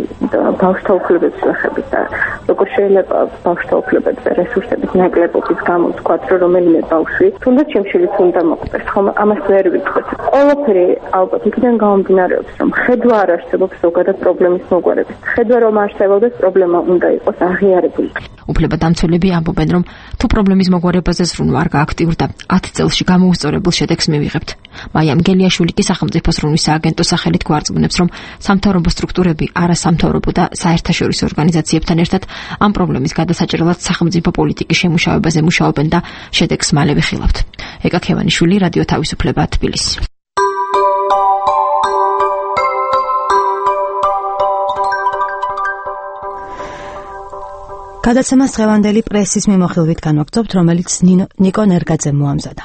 ბავშვთა უფლებების შესახებ და როგორ შეიძლება ბავშვთა უფლებების და რესურსების ნაკლებობის გამო თქვა, რომ რომელიმე ბავშვი თუნდაც შემშილიც უნდა მოხდეს, ხომ ამას ვერ ვიტყვით. ყველაფერი ალბათ იქიდან გამომდინარეობს, რომ ხედვა არ არსებობს ზოგადად პრობლემის მოგვარების. ხედვა რომ არსებობდეს, პრობლემა უნდა იყოს აღიარებული. უფლებადამცველები ამბობენ, რომ თუ პრობლემის მოგვარებაზე ზრუნვა არ გააქტიურდა, 10 წელში გამოუსწორებელ შედეგს მივიღებთ. მაიამ გელიაშვილი კი სახელმწიფო ზრუნვის სააგენტოს სახელით გვარწმუნებს, რომ სამთავრობო სტრუქტურები, არასამთავრობო და საერთაშორისო ორგანიზაციებთან ერთად ამ პრობლემის გადასაჭრელად სახელმწიფო პოლიტიკის შემუშავებაზე მუშაობენ და შედეგს მალე ვიხილავთ. ეკა ქევანიშვილი, რადიო თავისუფლება, თბილისი. გადაცემას დღევანდელი პრესის მიმოხილვით განვაგრძობთ, რომელიც ნიკო ნერგაძემ მოამზადა.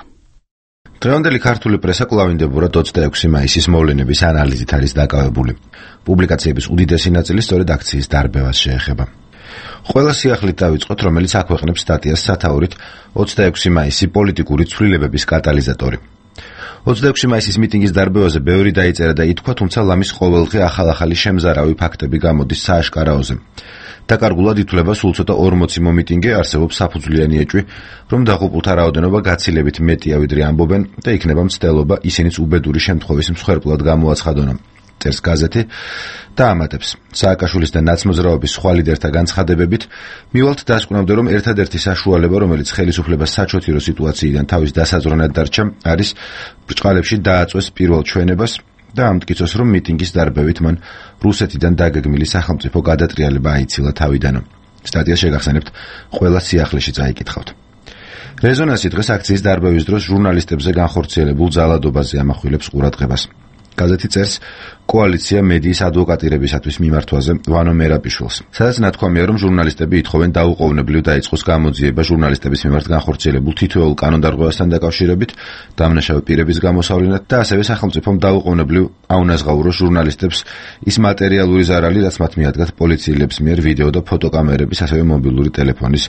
დღევანდელი ქართული პრესა კვლავინდებურად 26 მაისის მოვლენების ანალიზით არის დაკავებული. პუბლიკაციების უდიდესი ნაწილი სწორედ აქციის დარბევას შეეხება. ყველა სიახლით დავიწყოთ, რომელიც აქვეყნებს სტატიას სათაურით 26 მაისი პოლიტიკური ცვლილებების კატალიზატორი. 26 მაისის მიტინგის დარბევაზე ბევრი დაიწერა და ითქვა, თუმცა ლამის ყოველდღე ახალ-ახალი შემზარავი ფაქტები გამოდის სააშკარაოზე. დაკარგულად ითვლება სულ ცოტა 40 მომიტინგე, არსებობს საფუძვლიანი ეჭვი, რომ დაღუპულთა რაოდენობა გაცილებით მეტია ვიდრე ამბობენ და იქნება მცდელობა ისინიც უბედური შემთხვევის მსხვერპლად გამოაცხადონ. წერს გაზეთი და ამატებს. სააკაშვილის და ნაცმოძრაობის სხვა ლიდერთა განცხადებებით მივალთ დასკვნამდე, რომ ერთადერთი საშუალება, რომელიც ხელისუფლებას საჩოთირო სიტუაციიდან თავის დასაზრუნად დარჩა, არის ბრჭყალებში დააწვეს პირველ ჩვენებას და ამტკიცოს, რომ მიტინგის დარბევით მან რუსეთიდან დაგეგმილი სახელმწიფო გადატრიალება აიცილა თავიდან. სტატიას შეგახსენებთ, ყველა სიახლეში წაიკითხავთ. რეზონანსი დღეს აქციის დარბევის დროს ჟურნალისტებზე განხორციელებულ ძალადობაზე ამახვილებს ყურადღებას. გაზეთი წერს კოალიცია მედიის ადვოკატირებისათვის მიმართვაზე ვანო მერაპიშვილს, სადაც ნათქვამია, რომ ჟურნალისტები ითხოვენ დაუყოვნებლივ დაიწყოს გამოძიება ჟურნალისტების მიმართ განხორციელებულ თითოეულ კანონდარღვევასთან დაკავშირებით, დამნაშავე პირების გამოსავლენად და ასევე სახელმწიფომ დაუყოვნებლივ აუნაზღაუროს ჟურნალისტებს ის მატერიალური ზარალი, რაც მათ მიადგათ პოლიციელების მიერ ვიდეო და ფოტოკამერების, ასევე მობილური ტელეფონის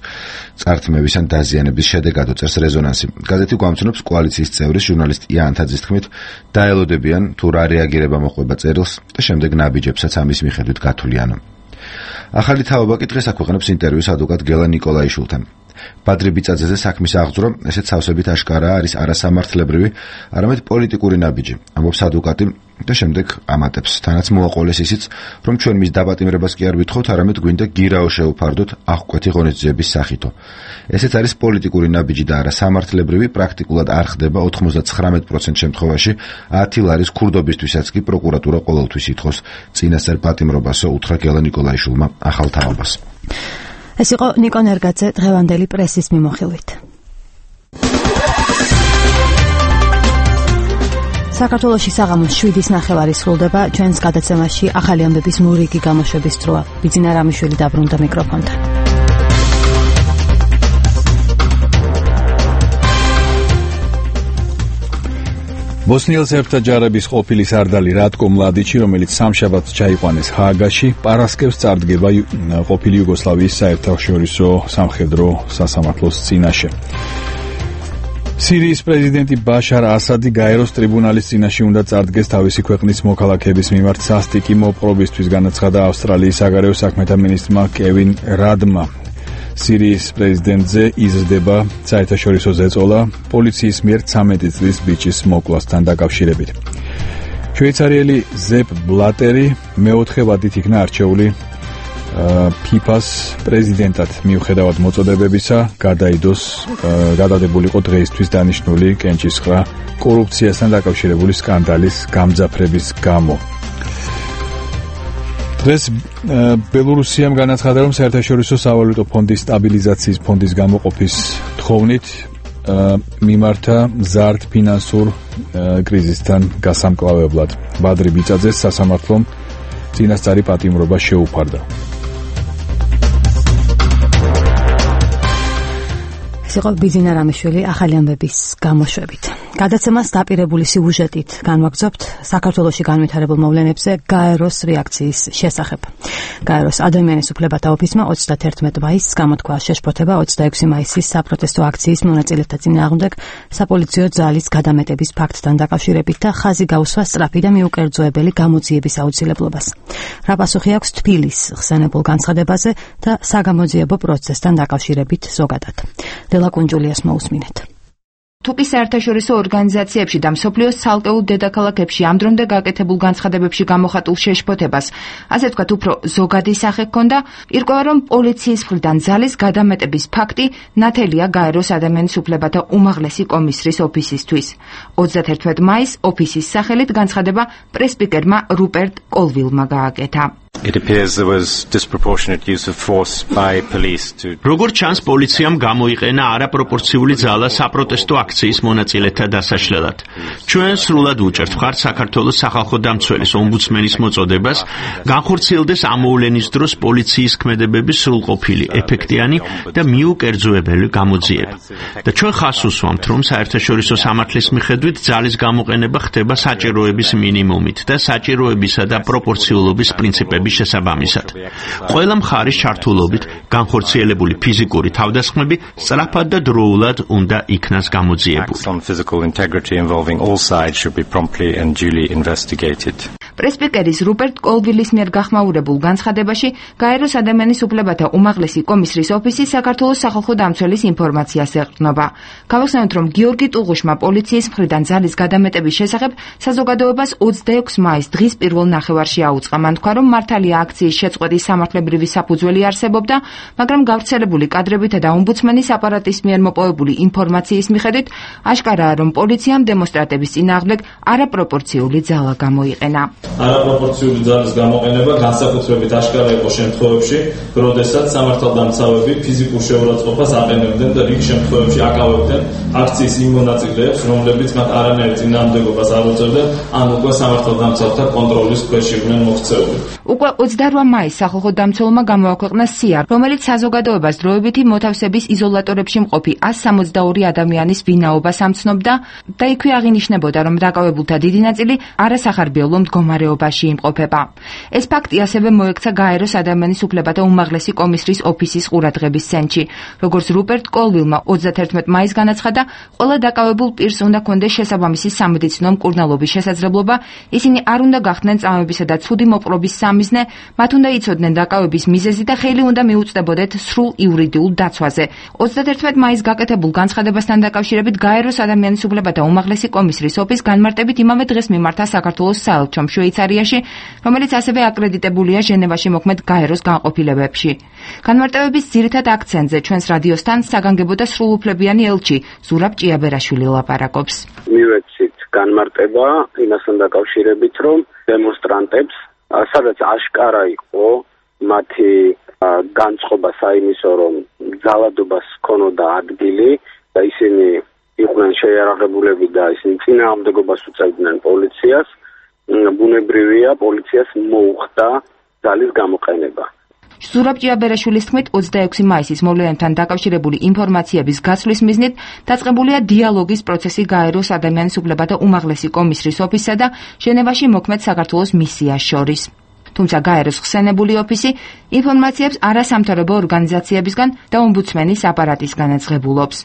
წართმების ან დაზიანების შედეგად, წერს რეზონანსი. გაზეთი გვამცნობს კოალიციის წევრის ჟურნალისტ იან თაძის თქმით, დაელოდებიან თუ რა რეაგირება მოყვება წერილს და შემდეგ ნაბიჯებსაც ამის მიხედვით გათვლიან. ახალი თაობა კი დღეს აქვეყნებს ინტერვიუს ადვოკატ გელა ნიკოლაიშვილთან. ბადრი ბიწაძეზე საქმის აღძრო ესეც სავსებით აშკარაა არის არასამართლებრივი, არამედ პოლიტიკური ნაბიჯი, ამბობს ადვოკატი და შემდეგ ამატებს. თანაც მოაყოლეს ისიც, რომ ჩვენ მის დაპატიმრებას კი არ ვითხოვთ, არამედ გვინდა გირაო შევფარდოთ აღკვეთი ღონისძიების სახითო. ესეც არის პოლიტიკური ნაბიჯი და არასამართლებრივი, პრაქტიკულად არ ხდება 99% შემთხვევაში 10 ლარის ქურდობისთვისაც კი პროკურატურა ყოველთვის ითხოვს წინასწარ პატიმრობასო, უთხრა გელა ნიკოლაიშვილმა ახალ თაობას. ეს იყო ნიკო ნერგაძე დღევანდელი პრესის მიმოხილვით. საქართველოში საღამოს 7:09 სრულდება ჩვენს გადაცემაში ახალი ამბების მურიგი გამოშვების დროა. ბიძინა რამიშვილი დაბრუნდა მიკროფონთან. ბოსნიელ სერბთა ჯარების ყოფილი სარდალი რატკო მლადიჩი, რომელიც სამშაბათს ჩაიყვანეს ჰააგაში, პარასკევს წარდგება ყოფილი იუგოსლავიის საერთაშორისო სამხედრო სასამართლოს წინაშე. სირიის პრეზიდენტი ბაშარ ასადი გაეროს ტრიბუნალის წინაშე უნდა წარდგეს თავისი ქვეყნის მოქალაქეების მიმართ სასტიკი მოპყრობისთვის, განაცხადა ავსტრალიის საგარეო საქმეთა მინისტრმა კევინ რადმა. სირიის პრეზიდენტზე იზრდება საერთაშორისო ზეწოლა პოლიციის მიერ 13 წლის ბიჭის მოკვლასთან დაკავშირებით. შვეიცარიელი ზეპ ბლატერი მეოთხე ვადით იქნა არჩეული ფიფას პრეზიდენტად. მიუხედავად მოწოდებებისა, გადადებულიყო დღეისთვის დანიშნული კენჭისყრა კორუფციასთან დაკავშირებული სკანდალის გამძაფრების გამო. დღეს ბელორუსიამ განაცხადა, რომ საერთაშორისო სავალუტო ფონდის სტაბილიზაციის ფონდის გამოყოფის თხოვნით მიმართა მზარდ ფინანსურ კრიზისთან გასამკლავებლად. ბადრი ბიწაძეს სასამართლომ წინასწარი პატიმრობა შეუფარდა. ეს იყო ბიძინა რამიშვილი ახალი ამბების გამოშვებით. გადაცემას დაპირებული სიუჟეტით განვაგრძობთ საქართველოში განვითარებულ მოვლენებზე გაეროს რეაქციის შესახებ. გაეროს ადამიანის უფლებათა ოფისმა 31 მაისს გამოთქვა შეშფოთება 26 მაისის საპროტესტო აქციის მონაწილეთა წინააღმდეგ საპოლიციო ძალის გადამეტების ფაქტთან დაკავშირებით და ხაზი გაუსვა სწრაფი და მიუკერძოებელი გამოძიების აუცილებლობას. რა პასუხი აქვს თბილისის ხსენებულ განცხადებაზე და საგამოძიებო პროცესთან დაკავშირებით ზოგადად. ლაკუნჯულიას მოусმინეთ. თუკი საერთაშორისო ორგანიზაციებში და მსოფლიოს ცალკეულ დედაქალაქებში ამ დრომდე გაკეთებულ განცხადებებში გამოხატულ შეშფოთებას, ასე ვთქვათ, უფრო ზოგადი სახე ჰქონდა, ირკვევა, რომ პოლიციის მხრიდან ძალის გადამეტების ფაქტი ნათელია გაეროს ადამიანის უფლებათა უმაღლესი კომისრის ოფისისთვის. 31 მაისს ოფისის სახელით განცხადება პრესპიკერმა რუპერტ კოლვილმა გააკეთა. It appears there was disproportionate use of force by police to როგორც ჩანს პოლიციამ გამოიყენა არაპროპორციული ძალა საპროტესტო აქციის მონაწილეთა დასაშლელად. ჩვენ სრულად უჭერთ მხარს საქართველოს სახალხო დამცველის ომბუდსმენის მოწოდებას, განხორციელდეს ამოვლენის დროს პოლიციის ქმედებების სრულყოფილი, ეფექტიანი და მიუკერძოებელი გამოძიება. და ჩვენ ხაზს უსვამთ, რომ საერთაშორისო სამართლის მიხედვით ძალის გამოყენება ხდება საჭიროების მინიმუმით და საჭიროებისა და პროპორციულობის პრინციპების შესაბამისად. ყველა მხარის ჩართულობით განხორციელებული ფიზიკური თავდასხმები სწრაფად და დროულად უნდა იქნას გამოძიებული. პრესპიკერის რუპერტ კოლვილის მიერ გახმაურებულ განცხადებაში გაეროს ადამიანის უფლებათა უმაღლესი კომისრის ოფისი საქართველოს სახალხო დამცველის ინფორმაციას ეყრდნობა. გავახსენოთ, რომ გიორგი ტუღუშმა პოლიციის მხრიდან ძალის გადამეტების შესახებ საზოგადოებას 26 მაისს დღის პირველ ნახევარში აუწყა. მან თქვა, რომ მართალია აქციის შეწყვეტის სამართლებრივი საფუძველი არსებობდა, მაგრამ გავრცელებული კადრებითა და ომბუდსმენის აპარატის მიერ მოპოვებული ინფორმაციის მიხედვით აშკარაა, რომ პოლიციამ დემონსტრანტების წინააღმდეგ არაპროპორციული ძალა გამოიყენა. არაპროპორციული ძალის გამოყენება განსაკუთრებით აშკარა იყო შემთხვევებში, როდესაც სამართალდამცავები ფიზიკურ შეურაცხყოფას აყენებდნენ და რიგ შემთხვევებში აკავებდნენ აქციის იმ მონაწილეებს, რომლებიც მათ არანაირ წინააღმდეგობას არ უწევდნენ, ან უკვე სამართალდამცავთა კონტროლის ქვეშ იყვნენ მოქცეული. უკვე 28 მაისს სახალხო დამცველმა გამოაქვეყნა სია, რომელიც საზოგადოებას დროებითი მოთავსების იზოლატორებში მყოფი 162 ადამიანის ვინაობას ამცნობდა და იქვე აღინიშნებოდა, რომ დაკავებულთა დიდი ნაწილი არასახარბიელო მდგომარეობაში მდგომარეობაში იმყოფება. ეს ფაქტი ასევე მოექცა გაეროს ადამიანის უფლებათა უმაღლესი კომისრის ოფისის ყურადღების ცენტრში. როგორც რუპერტ კოლვილმა 31 მაისს განაცხადა, ყველა დაკავებულ პირს უნდა კონდეს შესაბამისი სამედიცინო მკურნალობის შესაძლებლობა, ისინი არ უნდა გახდნენ წამებისა და ცუდი მოპყრობის სამიზნე, მათ უნდა იცოდნენ დაკავების მიზეზი და ხელი უნდა მიუწვდებოდეთ სრულ იურიდიულ დაცვაზე. 31 მაისს გაკეთებულ განცხადებასთან დაკავშირებით გაეროს ადამიანის უფლებათა უმაღლესი კომისრის ოფისს განმარტებით იმავე დღეს მიმართა საქართველოს საელჩომ შვეიცარიაში, რომელიც ასევე აკრედიტებულია ჟენევაში მოქმედ გაეროს განყოფილებებში. განმარტებების ძირითად აქცენტზე ჩვენს რადიოსთან საგანგებო და სრულუფლებიანი ელჩი ზურაბ ჭიაბერაშვილი ლაპარაკობს. მივეცით განმარტება იმასთან დაკავშირებით, რომ დემონსტრანტებს, სადაც აშკარა იყო მათი განწყობა საიმისო, რომ ძალადობას ჰქონოდა ადგილი და ისინი იყვნენ შეიარაღებულები და ისინი წინააღმდეგობას უწევდნენ პოლიციას, ბუნებრივია პოლიციას მოუხდა ძალის გამოყენება. ზურაბ ჭიაბერაშვილის თქმით 26 მაისის მოვლენებთან დაკავშირებული ინფორმაციების გაცვლის მიზნით დაწყებულია დიალოგის პროცესი გაეროს ადამიანის უფლებათა უმაღლესი კომისრის ოფისსა და ჟენევაში მოქმედ საქართველოს მისიას შორის. თუმცა გაეროს ხსენებული ოფისი ინფორმაციებს არასამთავრობო ორგანიზაციებისგან და ომბუდსმენის აპარატისგანაც ღებულობს.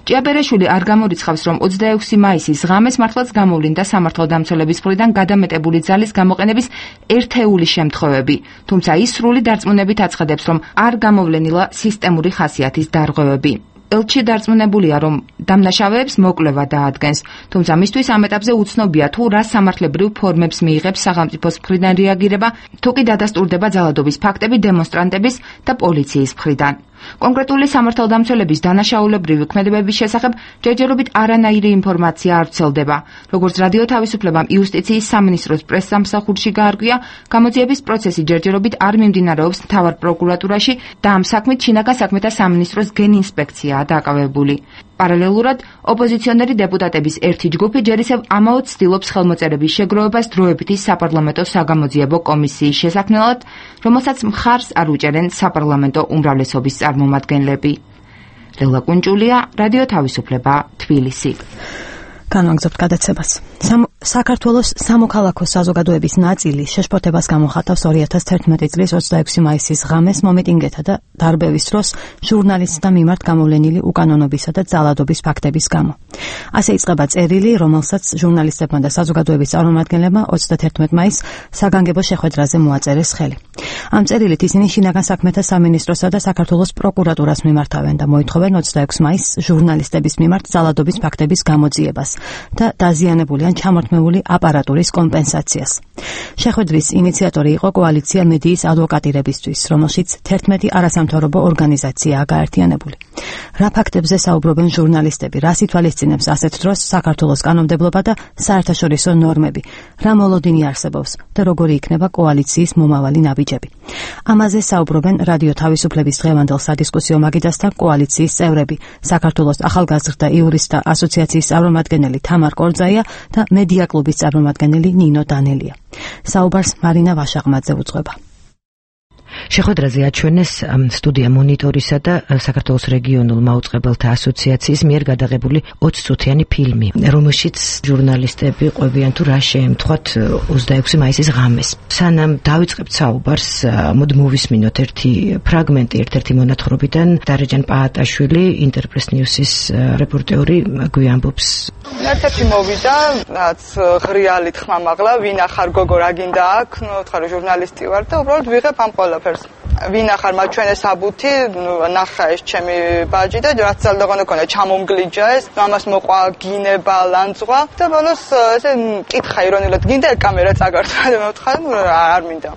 ჭიაბერაშვილი არ გამორიცხავს, რომ 26 მაისის ღამეს მართლაც გამოვლინდა სამართალდამცველების მხრიდან გადამეტებული ძალის გამოყენების ერთეული შემთხვევები, თუმცა ის სრული დარწმუნებით აცხადებს, რომ არ გამოვლენილა სისტემური ხასიათის დარღვევები. ელჩი დარწმუნებულია, რომ დამნაშავეებს მოკვლევა დაადგენს, თუმცა მისთვის ამ ეტაპზე უცნობია თუ რა სამართლებრივ ფორმებს მიიღებს სახელმწიფოს მხრიდან რეაგირება, თუ კი დადასტურდება ძალადობის ფაქტები დემონსტრანტების და პოლიციის მხრიდან. კონკრეტული სამართალდამცველების დანაშაულებრივი ქმედებების შესახებ ჯერჯერობით არანაირი ინფორმაცია არ ვრცელდება. როგორც რადიო თავისუფლებამ იუსტიციის სამინისტროს პრესსამსახურში გაარკვია, გამოძიების პროცესი ჯერჯერობით არ მიმდინარეობს მთავარ პროკურატურაში და ამ საქმით შინაგან საქმეთა სამინისტროს გენინსპექციაა დაკავებული. პარალელურად ოპოზიციონერი დეპუტატების ერთი ჯგუფი ჯერ ისევ ამაოდ ცდილობს ხელმოწერების შეგროვებას დროებითი საპარლამენტო საგამოძიებო კომისიის შესაქმნელად, რომელსაც მხარს არ უჭერენ საპარლამენტო უმრავლესობის წარმომადგენლები. ლელა კუნჭულია, რადიო თავისუფლება, თბილისი. განვაგრძობთ გადაცემას. საქართველოს სამოქალაქო საზოგადოების ნაწილი შეშფოთებას გამოხატავს 2011 წლის 26 მაისის ღამეს მომიტინგეთა და დარბევის დროს ჟურნალისტთა მიმართ გამოვლენილი უკანონობისა და ძალადობის ფაქტების გამო. ასე იწყება წერილი, რომელსაც ჟურნალისტებმა და საზოგადოების წარმომადგენლებმა 31 მაისს საგანგებო შეხვედრაზე მოაწერეს ხელი. ამ წერილით ისინი შინაგან საქმეთა სამინისტროსა და საქართველოს პროკურატურას მიმართავენ და მოითხოვენ 26 მაისს ჟურნალისტების მიმართ ძალადობის ფაქტების გამოძიებას და დაზიანებული ან ჩამორთმეული აპარატურის კომპენსაციას. შეხვედრის ინიციატორი იყო კოალიცია მედიის ადვოკატირებისთვის, რომელშიც 11 არასამთავრობო ორგანიზაციაა გაერთიანებული. რა ფაქტებზე საუბრობენ ჟურნალისტები, რას ითვალისწინებს ასეთ დროს საქართველოს კანონმდებლობა და საერთაშორისო ნორმები, რა მოლოდინი არსებობს და როგორი იქნება კოალიციის მომავალი ნაბიჯები. ამაზე საუბრობენ რადიო თავისუფლების დღევანდელ სადისკუსიო მაგიდასთან კოალიციის წევრები, საქართველოს ახალგაზრდა იურისტთა ასოციაციის წარმომადგენელი თამარ კორძაია და მედია კლუბის წარმომადგენელი ნინო დანელია. საუბარს მარინა ვაშაღმაძე უძღვება. შეხვედრაზე აჩვენეს სტუდია მონიტორისა და საქართველოს რეგიონულ მაუწყებელთა ასოციაციის მიერ გადაღებული 20 წუთიანი ფილმი, რომელშიც ჟურნალისტები ყვებიან თუ რა შეემთხვათ 26 მაისის ღამეს. სანამ დავიწყებთ საუბარს, მოდი მოვისმინოთ ერთი ფრაგმენტი ერთ-ერთი მონათხრობიდან. დარეჯან პაატაშვილი, ინტერპრეს ნიუსის რეპორტერი გვიამბობს. ერთ-ერთი მოვიდა, რაც ღრიალი თქმამაღლა, ვინ ახარ გოგო რა გინდა აქ, ხარ ჟურნალისტი ვარ და უბრალოდ ვიღებ ამ ყველაფერს. ვინ ახარ მაჩვენე საბუთი, ნახა ეს ჩემი ბაჯი და რაც ძალდაღონე ქონდა ჩამომგლიჯა ეს, ამას მოყვა გინება, ლანძღვა და ბოლოს ესე მკითხა ირონიულად, გინდა კამერა წაგართვა და მეთქა, არ მინდა.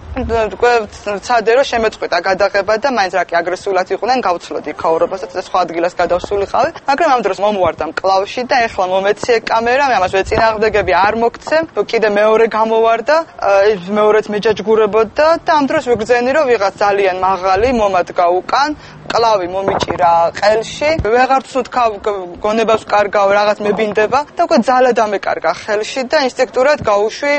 უკვე ცადე რომ შემეწყვიტა გადაღება და მაინც რა კი აგრესიულად იყვნენ, გავცლოდი ქაურობასაც და სხვა ადგილას გადავსულიყავი, მაგრამ ამ დროს მომუარდა მკლავში და ეხლა მომეციე კამერა, მე ამას ვეწინააღმდეგები არ მოგცემ, კიდე მეორე გამოვარდა, მეორეც მეჯაჯგურებოდა და ამ დროს ვიგრძენი რომ ვიღაც ძალიან მაღალი მომადგა უკან, კლავი მომიჭირა ყელში, ვეღარ ვსუთხავ გონებას ვკარგავ, რაღაც მებინდება და უკვე ძალა დამეკარგა ხელში და ინსტინქტურად გაუშვი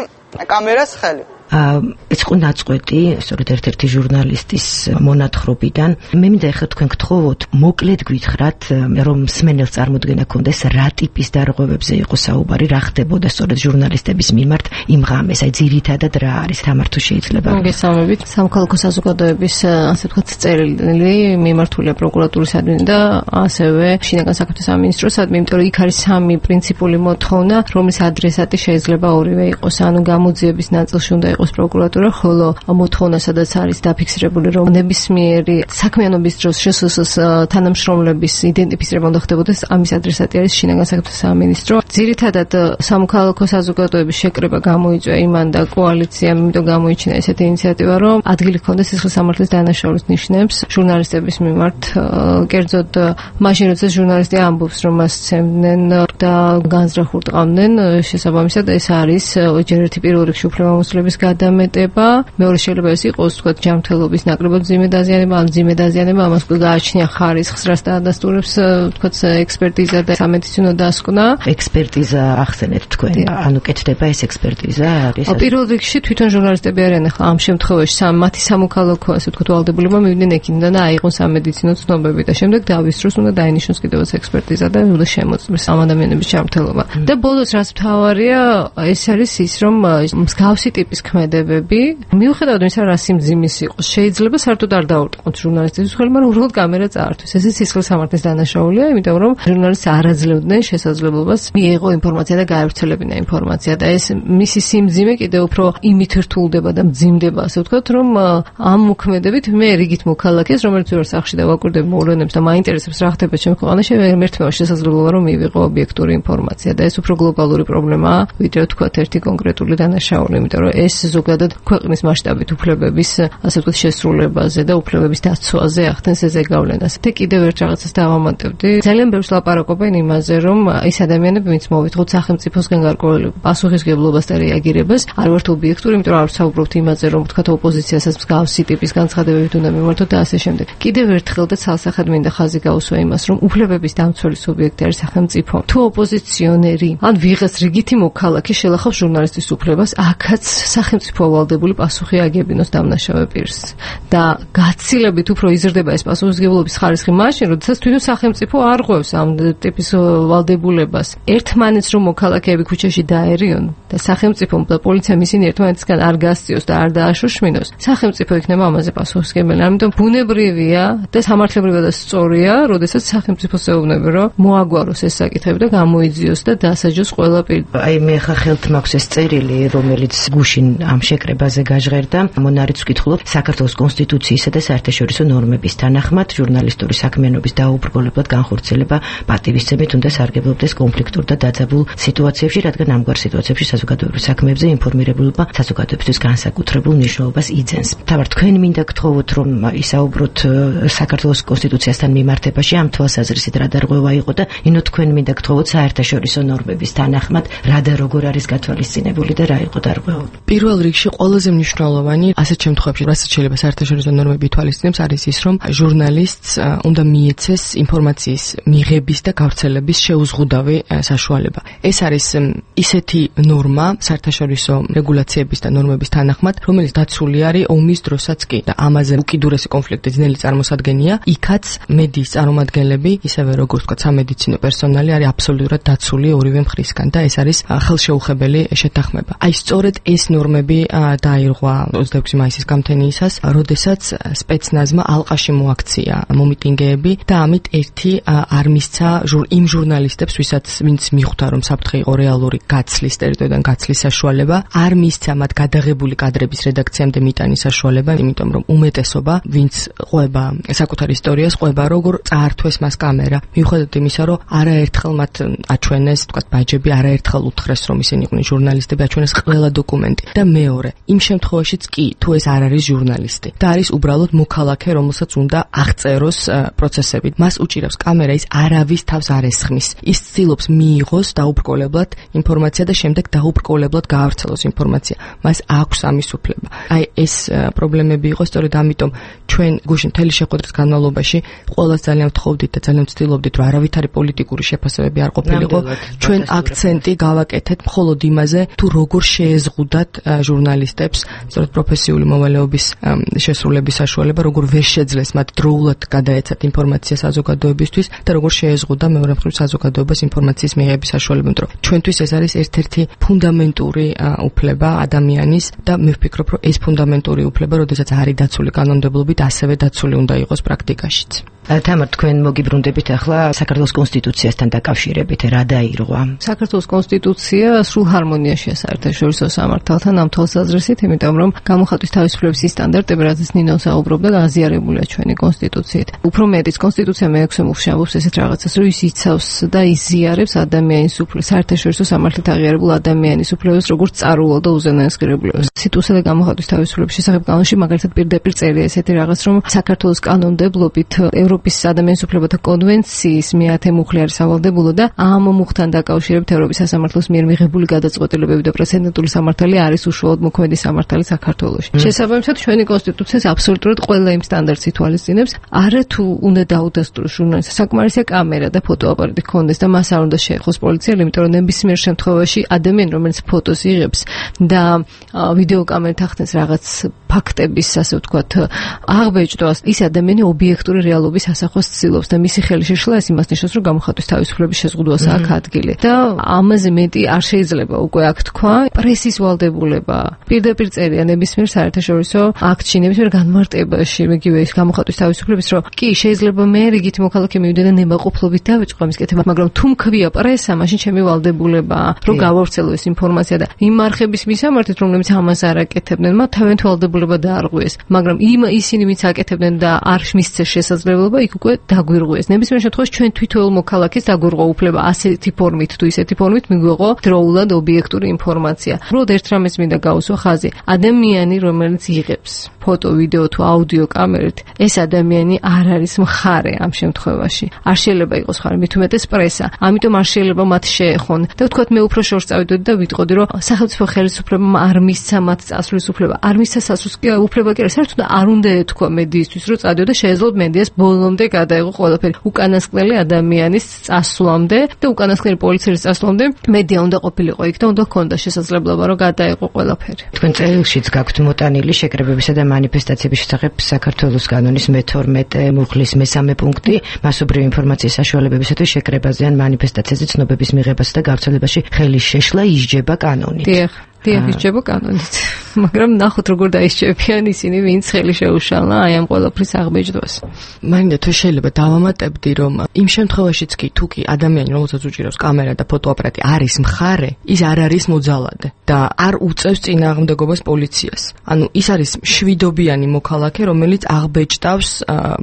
კამერას ხელი. ეს იყო ნაწყვეტი, სწორედ ერთ-ერთი ჟურნალისტის მონათხრობიდან. მე მინდა ეხლა თქვენ გთხოვოთ, მოკლედ გითხრათ, რომ მსმენელს წარმოდგენა ქონდეს რა ტიპის დარღვევებზე იყო საუბარი, რა ხდებოდა სწორედ ჟურნალისტების მიმართ იმ ღამეს, აი ძირითადად რა არის, თამარ თუ შეიძლება. მოგესალმებით. სამოქალაქო საზოგადოების ასე ვთქვათ წერილი მიმართულია პროკურატურისადმი და ასევე შინაგან საქმეთა სამინისტროსადმი, იმიტომ რომ იქ არის სამი პრინციპული მოთხოვნა, რომლის ადრესატი შეიძლება ორივე იყოს, ანუ გამოძიების ნაწილში უნდა იყოს პროკურატურა, ხოლო მოთხოვნა სადაც არის დაფიქსირებული, რომ ნებისმიერი საქმიანობის დროს შსს თანამშრომლების იდენტიფიცირება უნდა ხდებოდეს, ამის ადრესატი არის შინაგან საქმეთა სამინისტრო. ძირითადად სამოქალაქო საზოგადოების შეკრება გამოიწვია იმან და კოალიციამ, იმიტომ გამოიჩინა ესეთი ინიციატივა, რომ ადგილი ჰქონდეს სისხლის სამართლის დანაშაულის ნიშნებს ჟურნალისტების მიმართ, კერძოდ მაშინ როცა ჟურნალისტი ამბობს, რომ მას სცემდნენ და განზრახურტყავდნენ, შესაბამისად ეს არის ჯერ ერთი პირველ რიგში უფლებამოსილების გადამეტება, მეორე შეიძლება ეს იყოს თქვათ ჯანმრთელობის ნაკლებად მძიმე დაზიანება, ან მძიმე დაზიანება, ამას გააჩნია ხარისხს, რაც დაადასტურებს თქვათ ექსპერტიზა და სამედიცინო დასკვნა. ექსპერტიზა ახსენეთ თქვენ, ანუ კეთდება ეს ექსპერტიზა არის. პირველ რიგში თვითონ ჟურნალისტები არიან ახლა ამ შემთხვევაში მათი სამოქალაქო ასე ვთქვათ ვალდებულება მივიდნენ ექიმიდან და აიღონ სამედიცინო ცნობები და შემდეგ დავისწროს, უნდა დაინიშნოს კიდევაც ექსპერტიზა და უნდა შემოწმეს ამ ადამიანების ჯანმრთელობა. და ბოლოს რაც მთავარია, ეს არის ის, რომ მსგავსი ტიპის ქმედებები, მიუხედავად იმისა, რა სიმძიმის იყოს, შეიძლება საერთოდ არ დაურტყოთ ჟურნალისტების მხრივ, მაგრამ უბრალოდ კამერა წაართვეს. ესეც სისხლის სამართლის დანაშაულია, იმიტომ რომ ჟურნალისტს არ აძლევდნენ შესაძლებლობას მიეღო ინფორმაცია და გაევრცელებინა ინფორმაცია და ეს მისი სიმძიმე კიდევ უფრო იმით რთულდება და მძიმდება, ასე ვთქვათ, რომ ამ მოქმედებით მე რიგით მოქალაქეს, რომელიც ვარ სახლში და ვაკვირდებ მოვლენებს და მაინტერესებს რა ხდება ჩემს ქვეყანაში, ერთმეორ შესაძლებლობა რომ მივიღო ობიექტური ინფორმაცია და ეს უფრო გლობალური პრობლემაა, ვიდრე ვთქვათ ერთი კონკრეტული დანაშაული, იმიტომ რომ ეს ზოგადად ქვეყნის მასშტაბით უფლებების, ასე ვთქვათ, შესრულებაზე და უფლებების დაცვაზე ახდენს ეს ზეგავლენას. და კიდევ ერთ რაღაცას დავამატებდი. ძალიან ბევრს ლაპარაკობენ იმაზე, რომ ის ადამიანები, ვინც მოვიწყოთ სახელმწიფოსგან გარკვეული პასუხისმგებლობას და რეაგირებას, არ ვართ ობიექტური, იმიტომ რომ არ ვსაუბრობთ იმაზე, რომ ვთქვათ ოპოზიციასაც მსგავსი ტიპის განცხადებებით უნდა მიმართოთ და ასე შემდეგ. კიდევ ერთხელ და ცალსახად მინდა ხაზი გაუსვა იმას, რომ უფლებების დამცველი სუბიექტი არის სახელმწიფო. თუ ოპოზიციონერი ან ვიღაც რიგითი მოქალაქე შელახავს ჟურნალისტის უფლებას, აქაც სახელმწიფო ვალდებული პასუხი აგებინოს დამნაშავე პირს. და გაცილებით უფრო იზრდება ეს პასუხისმგებლობის ხარისხი მაშინ, როდესაც თვითონ სახელმწიფო არ ღვევს ამ ტიპის ვალდებულებას. ერთმანეთს რომ მოქალაქეები ქუჩაში დაერიონ და სახელმწიფომ და პოლიციამ ისინი ერთმანეთისგან არ გასწიოს და არ დააშოშმინოს, სახელმწიფო იქნება ამაზე პასუხისმგებელი. ამიტომ ბუნებრივია და სამართლებრივად და სწორია, როდესაც სახელმწიფოს ეუბნება, რომ მოაგვაროს ეს საკითხები და გამოიძიოს და დასაჯოს ყველა პირ. აი მე ხა ხელთ მაქვს ეს წერილი, რომელიც გუშინ ამ შეკრებაზე გაჟღერდა. მონარიც ვკითხულობ საქართველოს კონსტიტუციისა და საერთაშორისო ნორმების თანახმად ჟურნალისტური საქმიანობის დაუბრკოლებლად განხორციელება პატივისცემით უნდა სარგებლობდეს კონფლიქტურ და დაძაბულ სიტუაციებში, რადგან ამგვარ სიტუაციებში საზოგადოებრივ საქმეებზე ინფორმირებულობა საზოგადოებისთვის განსაკუთრებულ მნიშვნელობას იძენს. თავართ თქვენ მინდა გთხოვოთ, რომ ისაუბროთ საქართველოს კონსტიტუციასთან მიმართებაში ამ თვალსაზრისით რა დარღვევა იყო და ინო თქვენ მინდა გთხოვოთ საერთაშორისო ნორმების თანახმად რა და როგორ არის გათვალისწინებული და რა იყო დარღვევა. პირველ რიგში ყველაზე მნიშვნელოვანი ასეთ შემთხვევებში, რასაც შეიძლება საერთაშორისო ნორმები ითვალისწინებს, არის ის, რომ ჟურნალისტს უნდა მიეცეს ინფორმაციის მიღების და გავრცელების შეუზღუდავი საშუალება. ეს არის ისეთი ნორმა საერთაშორისო რეგულაციების და ნორმების თანახმად, რომელიც დაცული არის ომის დროსაც კი და ამაზე უკიდურესი კონფლიქტი ძნელი წარმოსადგენია. იქაც მედიის წარმომადგენლები, ისევე როგორც ვთქვათ, სამედიცინო პერსონალი არის აბსოლუტურად დაცული ორივე მხრისგან და ეს არის ხელშეუხებელი შეთანხმება. აი სწორედ ეს ნორმები დაირღვა 26 მაისის გამთენიისას, როდესაც სპეცნაზმა ალყაში მოაქცია მომიტინგეები და ამით ერთი არ მისცა იმ ჟურნალისტებს, ვინც მიხვდა, რომ საფრთხე იყო რეალური გაცლის ტერიტორიიდან გაცლის საშუალება, არ მისცა მათ გადაღებული კადრების რედაქციამდე მიტანის საშუალება, იმიტომ რომ უმეტესობა, ვინც ყვება საკუთარ ისტორიას, ყვება როგორ წაართვეს მას კამერა. მიუხედავად იმისა, რომ არაერთხელ მათ აჩვენეს, თქვათ, ბაჯები არაერთხელ უთხრეს, რომ ისინი იყვნენ ჟურნალისტები, აჩვენეს ყველა დოკუმენტი. და მეორე, იმ შემთხვევაშიც კი, თუ ეს არ არის ჟურნალისტი და არის უბრალოდ მოქალაქე, რომელსაც უნდა აღწეროს პროცესები. მას უჭირავს კამერა, ის არავის თავს არ ესხმის. ის ცდილობს მიიღოს დაუბრკოლებლად ინფორმაცია და შემდეგ დაუბრკოლებლად გაავრცელოს ინფორმაცია. მას აქვს ამის უფლება. აი ეს პრობლემები იყო, სწორედ ამიტომ ჩვენ გუშინ მთელი შეხვედრის განმავლობაში ყველას ძალიან ვთხოვდით და ძალიან ვცდილობდით, რომ არავითარი პოლიტიკური შეფასებები არ ყოფილიყო. ჩვენ აქცენტი გავაკეთეთ მხოლოდ იმაზე, თუ როგორ შეეზღუდათ ჟურნალისტებს სწორედ პროფესიული მოვალეობის შესრულების საშუალება, როგორ ვერ შეძლეს მათ დროულად გადაეცათ ინფორმაცია საზოგადოებისთვის და როგორ შეეზღუდა მეორე მხრივ საზოგადოებას ინფორმაციის მიღების საშუალება, რომ ჩვენთვის ეს არის ერთ-ერთი ფუნდამენტური უფლება ადამიანის და მე ვფიქრობ, რომ ეს ფუნდამენტური უფლება, როდესაც არის დაცული კანონმდებლობით, ასევე დაცული უნდა იყოს პრაქტიკაშიც. თამარ, თქვენ მოგიბრუნდებით ახლა საქართველოს კონსტიტუციასთან დაკავშირებით, რა დაირღვა? საქართველოს კონსტიტუცია სრულ ჰარმონიაშია საერთაშორისო სამართალთან ამ თვალსაზრისით, იმიტომ რომ გამოხატვის თავისუფლების სტანდარტები, რაზეც ნინო საუბრობდა, გაზიარებულია ჩვენი კონსტიტუციით. უფრო მეტიც კონსტიტუცია მე-6 მუხლში ამბობს ესეთ რაღაცას, რომ ის იცავს და იზიარებს ადამიანის უფლებას, საერთაშორისო სამართლით აღიარებულ ადამიანის უფლებას, როგორც წარულ და უზენაეს ღირებულებას. კონსტიტუცია და გამოხატვის თავისუფლების შესახებ კანონში მაგალითად პირდაპირ წერია ესეთი რაღაც, რომ საქართველოს კანონმდებლობით ევროპის ადამიანის უფლებათა კონვენციის მე-10 მუხლი არის სავალდებულო და ამ მუხლთან დაკავშირებით ევროპის სასამართლოს მიერ მიღებული გადაწყვეტილებები და პრეცედენტული სამართალი არის უშუალოდ მოქმედი სამართალი საქართველოში. შესაბამისად, ჩვენი კონსტიტუციას აბსოლუტურად ყველა იმ სტანდარტს ითვალისწინებს, არა თუ უნდა დაუდასტუროს ჟურნალისტს, საკმარისია კამერა და ფოტოაპარატი ჰქონდეს და მას არ უნდა შეეხოს პოლიციელი, იმიტომ რომ ნებისმიერ შემთხვევაში ადამიანი, რომელიც ფოტოს იღებს და ვიდეო კამერით ახდენს რაღაც ფაქტების, ასე ვთქვათ, აღბეჭდვას, ის ადამიანი ობიექტური რეალობის ასახვას ცდილობს და მისი ხელი შეშლა ეს იმას ნიშნავს, რომ გამოხატვის თავისუფლების შეზღუდვას აქვს ადგილი. და ამაზე მეტი არ შეიძლება უკვე აქ თქვა, პრესის ვალდებულება. პირდაპირ წერია ნებისმიერ საერთაშორისო აქტში, ნებისმიერ განმარტებაში, მიგივე ის გამოხატვის თავისუფლების, რომ კი შეიძლება მე რიგითი მოქალაქე მივიდე და ნებაყოფლობით დავიწყო ამის კეთება, მაგრამ თუ მქვია პრესა, მაშინ ჩემი ვალდებულებაა, რომ გავავრცელო ეს ინფორმაცია და იმ არხების მისამართით, რომლებიც ამას არ აკეთებდნენ, მათ თავიანთი ვალდებულება დაარღვიეს, მაგრამ ისინი ვინც აკეთებდნენ და არ მისცეს შესაძლებლობა, იქ უკვე დაგვირღვიეს. ნებისმიერ შემთხვევაში ჩვენ თვითოეულ მოქალაქეს დაგვირღვა უფლება ასეთი ფორმით თუ ისეთი ფორმით მიგვიღო დროულად ობიექტური ინფორმაცია. უბრალოდ ერთ რამეს მინდა გავუსვა ხაზი. ადამიანი, რომელიც იღებს ფოტო, ვიდეო თუ აუდიო კამერით, ეს ადამიანი არ არის მხარე ამ შემთხვევაში. არ შეიძლება იყოს მხარე, მით უმეტეს პრესა. ამიტომ არ შეიძლება მათ შეეხონ. და ვთქვათ, მე უფრო შორს წავიდოდი და ვიტყოდი, რომ სახელმწიფო ხელისუფლებამ არ მისცა მათ წასვლის უფლება. არ მისცა წასვლის უფლება კი არა, საერთოდ არ უნდა ეთქვა მედიისთვის, რომ წადიოდა შეეძლოთ მედიას ბოლომდე გადაიღო ყველაფერი. უკანასკნელი ადამიანის წასვლამდე და უკანასკნელი პოლიციის წასვლამდე მედია უნდა ყოფილიყო იქ და უნდა ჰქონდა შესაძლებლობა, რომ გადაიღო ყველაფერი. თქვენ წერილშიც გაქვთ მოტანილი შეკრებებისა და მანიფესტაციების შესახებ საქართველოს კანონის მე-12 მუხლის მე-3 პუნქტი, მასობრივი ინფორმაციის საშუალებებისათვის შეკრებაზე ან მანიფესტაციაზე ცნობების მიღებასა და გავრცელებაში ხელის შეშლა ისჯება კანონით. დიახ, ისჯება კანონით. მაგრამ ნახოთ როგორ დაისჯებიან ისინი, ვინც ხელი შეუშალა აი ამ ყველაფრის აღბეჭდვას. მაინდა თუ შეიძლება დავამატებდი, რომ იმ შემთხვევაშიც კი თუ კი ადამიანი, რომელსაც უჭირავს კამერა და ფოტოაპარატი არის მხარე, ის არ არის მოძალადე და არ უწევს წინააღმდეგობას პოლიციას. ანუ ის არის მშვიდობიანი მოქალაქე, რომელიც აღბეჭდავს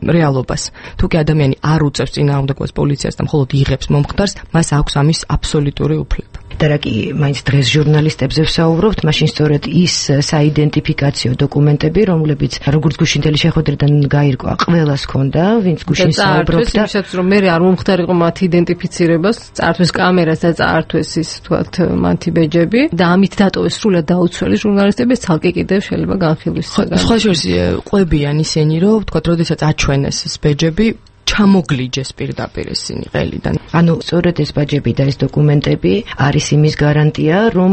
რეალობას. თუ კი ადამიანი არ უწევს წინააღმდეგობას პოლიციას და მხოლოდ იღებს მომხდარს, მას აქვს ამის აბსოლუტური უფლება. და რა კი მაინც დღეს ჟურნალისტებზე ვსაუბრობთ, მაშინ სწორედ ის საიდენტიფიკაციო დოკუმენტები, რომლებიც როგორც გუშინდელი შეხვედრიდან გაირკვა, ყველას ჰქონდა, ვინც გუშინ საუბრობდა, ისაც რომ მე არ მომხდარიყო მათ იდენტიფიცირებას, წართვეს კამერას და წართვეს ის თქვათ მათი ბეჯები და ამით დატოვეს სრულად დაუცველი ჟურნალისტები, ცალკე კიდევ შეიძლება განხილვის საგანი. სხვა შორის ყვებიან ისინი, რომ თქვათ, როდესაც აჩვენეს ეს ბეჯები ჩამოგლიჯეს პირდაპირ ისინი ყელიდან. ანუ სწორედ ეს ბაჯები და ეს დოკუმენტები არის იმის გარანტია, რომ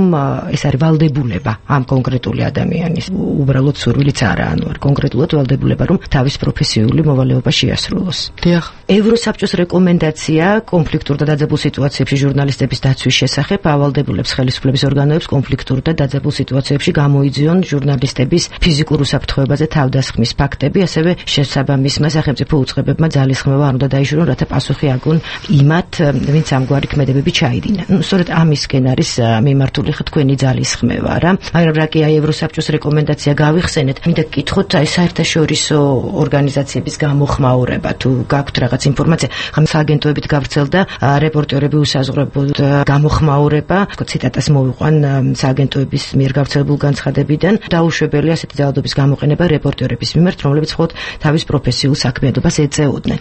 ეს არის ვალდებულება ამ კონკრეტული ადამიანის. უბრალოდ სურვილიც არა, ანუ არ კონკრეტულად ვალდებულება, რომ თავის პროფესიული მოვალეობა შეასრულოს. დიახ. ევროსაბჭოს რეკომენდაცია კონფლიქტურ და დაძაბულ სიტუაციებში ჟურნალისტების დაცვის შესახებ ავალდებულებს ხელისუფლების ორგანოებს კონფლიქტურ და დაძაბულ სიტუაციებში გამოიძიონ ჟურნალისტების ფიზიკურ უსაფრთხოებაზე თავდასხმის ფაქტები, ასევე შესაბამისმა სახელმწიფო უწყებებმა ძალისხმევა არ უნდა დაიშურონ, რათა პასუხი აგონ იმათ, ვინც ამგვარი ქმედებები ჩაიდინა. სწორედ ამისკენ არის მიმართული თქვენი ძალისხმევა რა. მაგრამ რა კი აი ევროსაბჭოს რეკომენდაცია გავიხსენეთ, მინდა გკითხოთ აი საერთაშორისო ორგანიზაციების გამოხმაურება, თუ გაქვთ რაღაც ინფორმაცია, ხომ სააგენტოებით გავრცელდა რეპორტერები უსაზღვრებლად გამოხმაურება, ციტატას მოვიყვან სააგენტოების მიერ გავრცელებულ განცხადებიდან, დაუშვებელია ასეთი ძალადობის გამოყენება რეპორტერების მიმართ, რომლებიც მხოლოდ თავის პროფესიულ საქმიანობას ეწეოდნენ.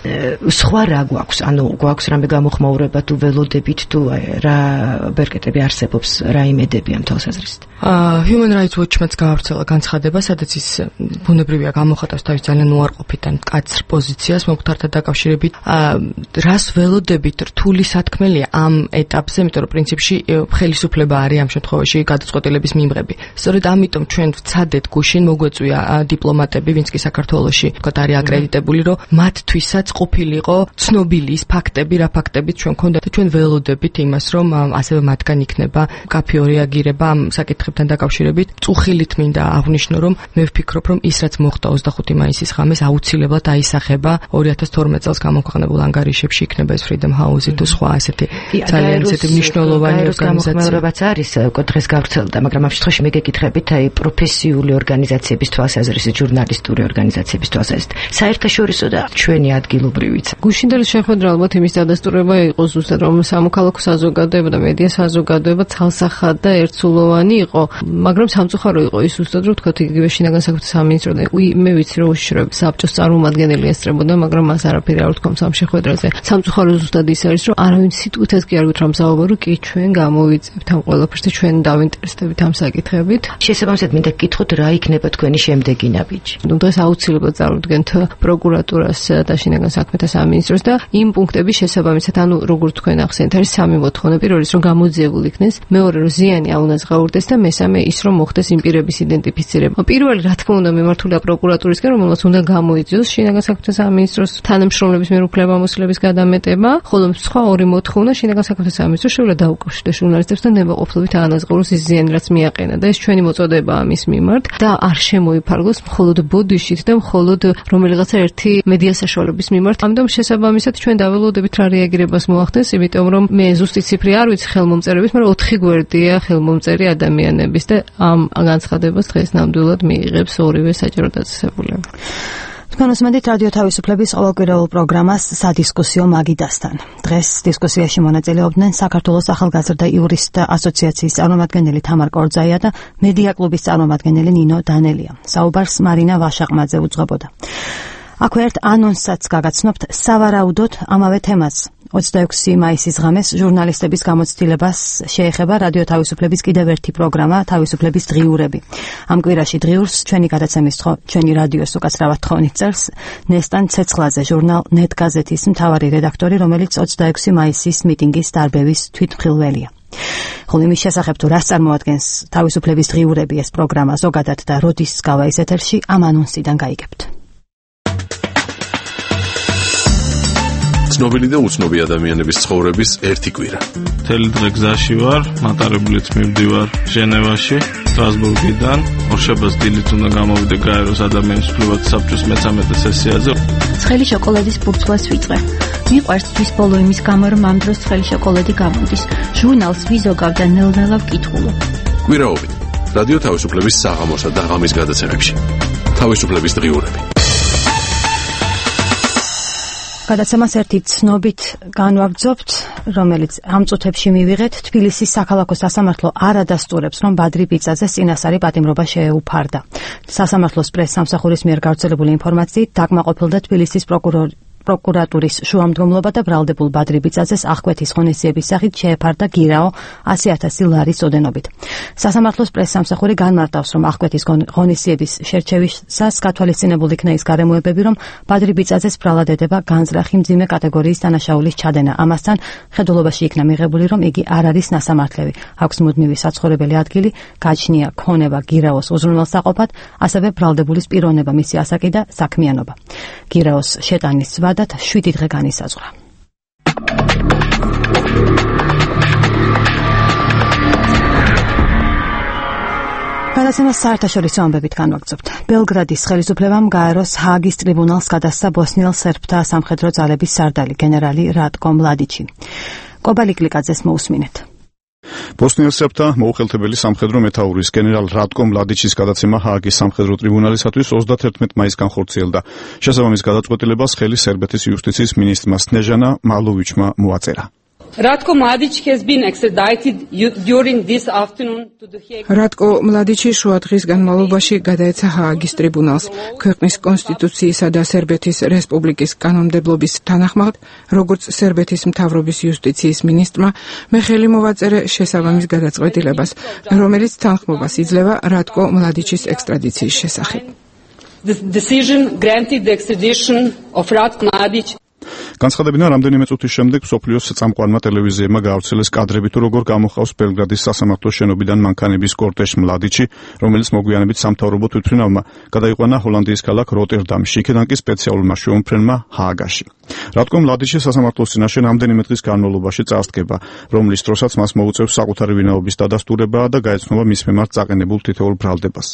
სხვა რა გვაქვს? ანუ გვაქვს რამე გამოხმაურება თუ ველოდებით თუ რა ბერკეტები არსებობს, რა იმედები ამ თვალსაზრისით? Human Rights Watch-მაც გაავრცელა განცხადება, სადაც ის ბუნებრივია გამოხატავს თავის ძალიან უარყოფით ან მკაცრ პოზიციას მომხდართან დაკავშირებით. რას ველოდებით რთული სათქმელია ამ ეტაპზე, იმიტომ რომ პრინციპში ხელისუფლება არის ამ შემთხვევაში გადაწყვეტილების მიმღები. სწორედ ამიტომ ჩვენ ვცადეთ გუშინ მოგვეწვია დიპლომატები, ვინც კი საქართველოში ვთქვათ არის აკრედიტებული, რომ მათთვისაც ყოფილიყო ცნობილი ის ფაქტები, რა ფაქტებიც ჩვენ გქონდათ და ჩვენ ველოდებით იმას, რომ ასევე მათგან იქნება კაფეო რეაგირება ამ საკითხებთან დაკავშირებით. წუხილით მინდა აღვნიშნო, რომ მე ვფიქრობ, რომ ის რაც მოხდა 25 მაისის ღამეს აუცილებლად აისახება 2012 წელს გამოქვეყნებულ ანგარიშებში, იქნება ეს Freedom House-ი თუ სხვა ასეთი ძალიან ისეთი მნიშვნელოვანი ორგანიზაციებიც არის დღეს გავრცელდა, მაგრამ ამ შემთხვევაში მე გეკითხებით აი პროფესიული ორგანიზაციების თვალსაზრისით, ჟურნალისტური ორგანიზაციების თვალსაზრისით, საერთაშორისო და ჩვენი ადგილობრივიც. გუშინდელი შეხვედრა ალბათ იმის დადასტურება იყო ზუსტად, რომ სამოქალაქო საზოგადოება და მედია საზოგადოება ცალსახად და ერთსულოვანი იყო, მაგრამ სამწუხარო იყო ის ზუსტად, რომ თქვათ იგივე შინაგან საქმეთა სამინისტრო და მე ვიცი რომ უშიშროების საბჭოს წარმომადგენელი ესწრებოდა, მაგრამ მას არაფერი არ უთქვამს ამ შეხვედრაზე. სამწუხარო ზუსტად ის არის, რომ არავინ სიტყვითაც კი არ გითხრამსაუბრო, რომ კი ჩვენ გამოვიწევთ ამ ყველაფერს და ჩვენ დავინტერესდებით ამ საკითხებით. შესაბამისად მინდა გკითხოთ რა იქნება თქვენი შემდეგი ნაბიჯი. დღეს აუცილებლად წარუდგენთ პროკურატურას და შინაგან საქმეთა სამინისტროს და იმ პუნქტების შესაბამისად, ანუ როგორც თქვენ ახსენეთ, არის სამი მოთხოვნა. პირველი ის რომ გამოძიებულ იქნეს, მეორე რომ ზიანი აუნაზღაურდეს და მესამე ის რომ მოხდეს იმ პირების იდენტიფიცირება. პირველი რა თქმა უნდა მიმართულია პროკურატურისკენ, რომელსაც უნდა გამოიწვიოს შინაგან საქმეთა სამინისტროს თანამშრომლების მიერ უფლებამოსილების გადამეტება, ხოლო სხვა ორი მოთხოვნა შინაგან საქმეთა სამინისტროს შეუძლია დაუკავშირდეს ჟურნალისტებს და ნებაყოფლობით აანაზღაუროს ის ზიანი, რაც მიაყენა და ეს ჩვენი მოწოდება ამის მიმართ და არ შემოიფარგლოს მხოლოდ ბოდიშით და მხოლოდ რომელიღაცა ერთი მედია საშუალების მიმართ. ამიტომ შესაბამისად ჩვენ დაველოდებით რა რეაგირებას მოახდენს, იმიტომ რომ მე ზუსტი ციფრი არ ვიცი ხელმომწერების, მაგრამ 4 გვერდია ხელმომწერი ადამიანების და ამ განცხადებას დღეს ნამდვილად მიიღებს ორივე საჯარო დაწესებულება. თქვენ უსმენთ რადიო თავისუფლების ყოველკვირეულ პროგრამას სადისკუსიო მაგიდასთან. დღეს დისკუსიაში მონაწილეობდნენ საქართველოს ახალგაზრდა იურისტთა ასოციაციის წარმომადგენელი თამარ კორძაია და მედია კლუბის წარმომადგენელი ნინო დანელია. საუბარს მარინა ვაშაყმაძე უძღვებოდა. აქვე ერთ ანონსსაც გაგაცნობთ სავარაუდოდ ამავე თემას. 26 მაისის ღამეს ჟურნალისტების გამოცდილებას შეეხება რადიო თავისუფლების კიდევ ერთი პროგრამა თავისუფლების დღიურები. ამ კვირაში დღიურს ჩვენი გადაცემის ჩვენი რადიოს უკაცრავად თხოვნით წერს ნესტან ცეცხლაძე, ჟურნალ ნეტ გაზეთის მთავარი რედაქტორი, რომელიც 26 მაისის მიტინგის დარბევის თვითმხილველია. ხოლო იმის შესახებ თუ რას წარმოადგენს თავისუფლების დღიურები ეს პროგრამა ზოგადად და როდის გავა ის ეთერში, ამ ანონსიდან გაიგებთ. ცნობილი და უცნობი ადამიანების ცხოვრების ერთი კვირა. მთელი დღე გზაში ვარ, მატარებლით მივდივარ ჟენევაში, სტრასბურგიდან. ორშაბათს დილით უნდა გამოვიდე გაეროს ადამიანის უფლებათა საბჭოს მე-13 სესიაზე. ცხელი შოკოლადის ბურცვას ვიწვე. მიყვარს თვის ბოლო იმის გამო, რომ ამ დროს ცხელი შოკოლადი გამოდის. ჟურნალს ვიზოგავ და ნელ-ნელა ვკითხულობ. კვირაობით რადიო თავისუფლების საღამოსა და ღამის გადაცემებში. თავისუფლების დღიურები. გადაცემას ერთი ცნობით განვაგრძობთ, რომელიც ამ წუთებში მივიღეთ. თბილისის საქალაქო სასამართლო არ ადასტურებს, რომ ბადრი ბიწაძეს წინასწარი პატიმრობა შეეუფარდა. სასამართლოს პრეს-სამსახურის მიერ გავრცელებული ინფორმაციით დაკმაყოფილდა თბილისის პროკურატურის შუამდგომლობა და ბრალდებულ ბადრი ბიწაძეს აღკვეთის ღონისძიების სახით შეეფარდა გირაო 100,000 ლარის ოდენობით. სასამართლოს პრეს-სამსახური განმარტავს, რომ აღკვეთის ღონისძიების შერჩევისას გათვალისწინებულ იქნა ის გარემოებები, რომ ბადრი ბიწაძეს ბრალად ედება განზრახი მძიმე კატეგორიის დანაშაულის ჩადენა. ამასთან ხედულობაში იქნა მიღებული, რომ იგი არ არის ნასამართლევი. აქვს მუდმივი საცხოვრებელი ადგილი, გაჩნია ქონება გირაოს უზრუნველსაყოფად, ასევე ბრალდებულის პიროვნება, მისი ასაკი და საქმიანობა. გირაოს შეტანის ვადად 7 დღე განისაზღვრა. გადაცემას საერთაშორისო ამბებით განვაგრძობთ. ბელგრადის ხელისუფლებამ გაეროს ჰააგის ტრიბუნალს გადასცა ბოსნიელ სერბთა სამხედრო ძალების სარდალი გენერალი რატკო მლადიჩი. კობალი კლიკაძეს მოусმინეთ. ბოსნიელ სერბთა მოუხელთებელი სამხედრო მეთაურის გენერალ რატკო მლადიჩის გადაცემა ჰააგის სამხედრო ტრიბუნალისათვის 31 მაისს განხორციელდა. შესაბამის გადაწყვეტილებას ხელი სერბეთის იუსტიციის მინისტრმა სნეჟანა მალოვიჩმა მოაწერა. Ratko Mladic has been extradited during this afternoon to the Hague. Ratko Mladici შუადღის განმავლობაში გადაეცა ჰააგის ტრიბუნალს. ქვეყნის კონსტიტუციისა და სერბეთის რესპუბლიკის კანონმდებლობის თანახმად, როგორც სერბეთის მთავრობის იუსტიციის მინისტრმა მე ხელი მოვაწერე შესაბამის გადაწყვეტილებას, რომელიც თანხმობას იძლევა რატკო მლადიჩის ექსტრადიციის შესახებ. The decision granted the extradition of Ratko Mladic. განცხადებიდან რამდენიმე წუთის შემდეგ სოფლიოს წამყვანმა ტელევიზიებმა გაავრცელეს კადრები თუ როგორ გამოხავს ბელგრადის სასამართლოს შენობიდან მანქანების კორტეჟ მლადიჩი, რომელიც მოგვიანებით სამთავრობო თვითმფრინავმა გადაიყვანა ჰოლანდიის ქალაქ როტერდამში, იქედან კი სპეციალურმა შეუმფრენმა ჰააგაში. რატკო მლადიჩი სასამართლოს წინაშე რამდენიმე დღის განმავლობაში წარსდგება, რომლის დროსაც მას მოუწევს საკუთარი ვინაობის დადასტურება და გაეცნობა მის მიმართ წაყენებულ თითოეულ ბრალდებას.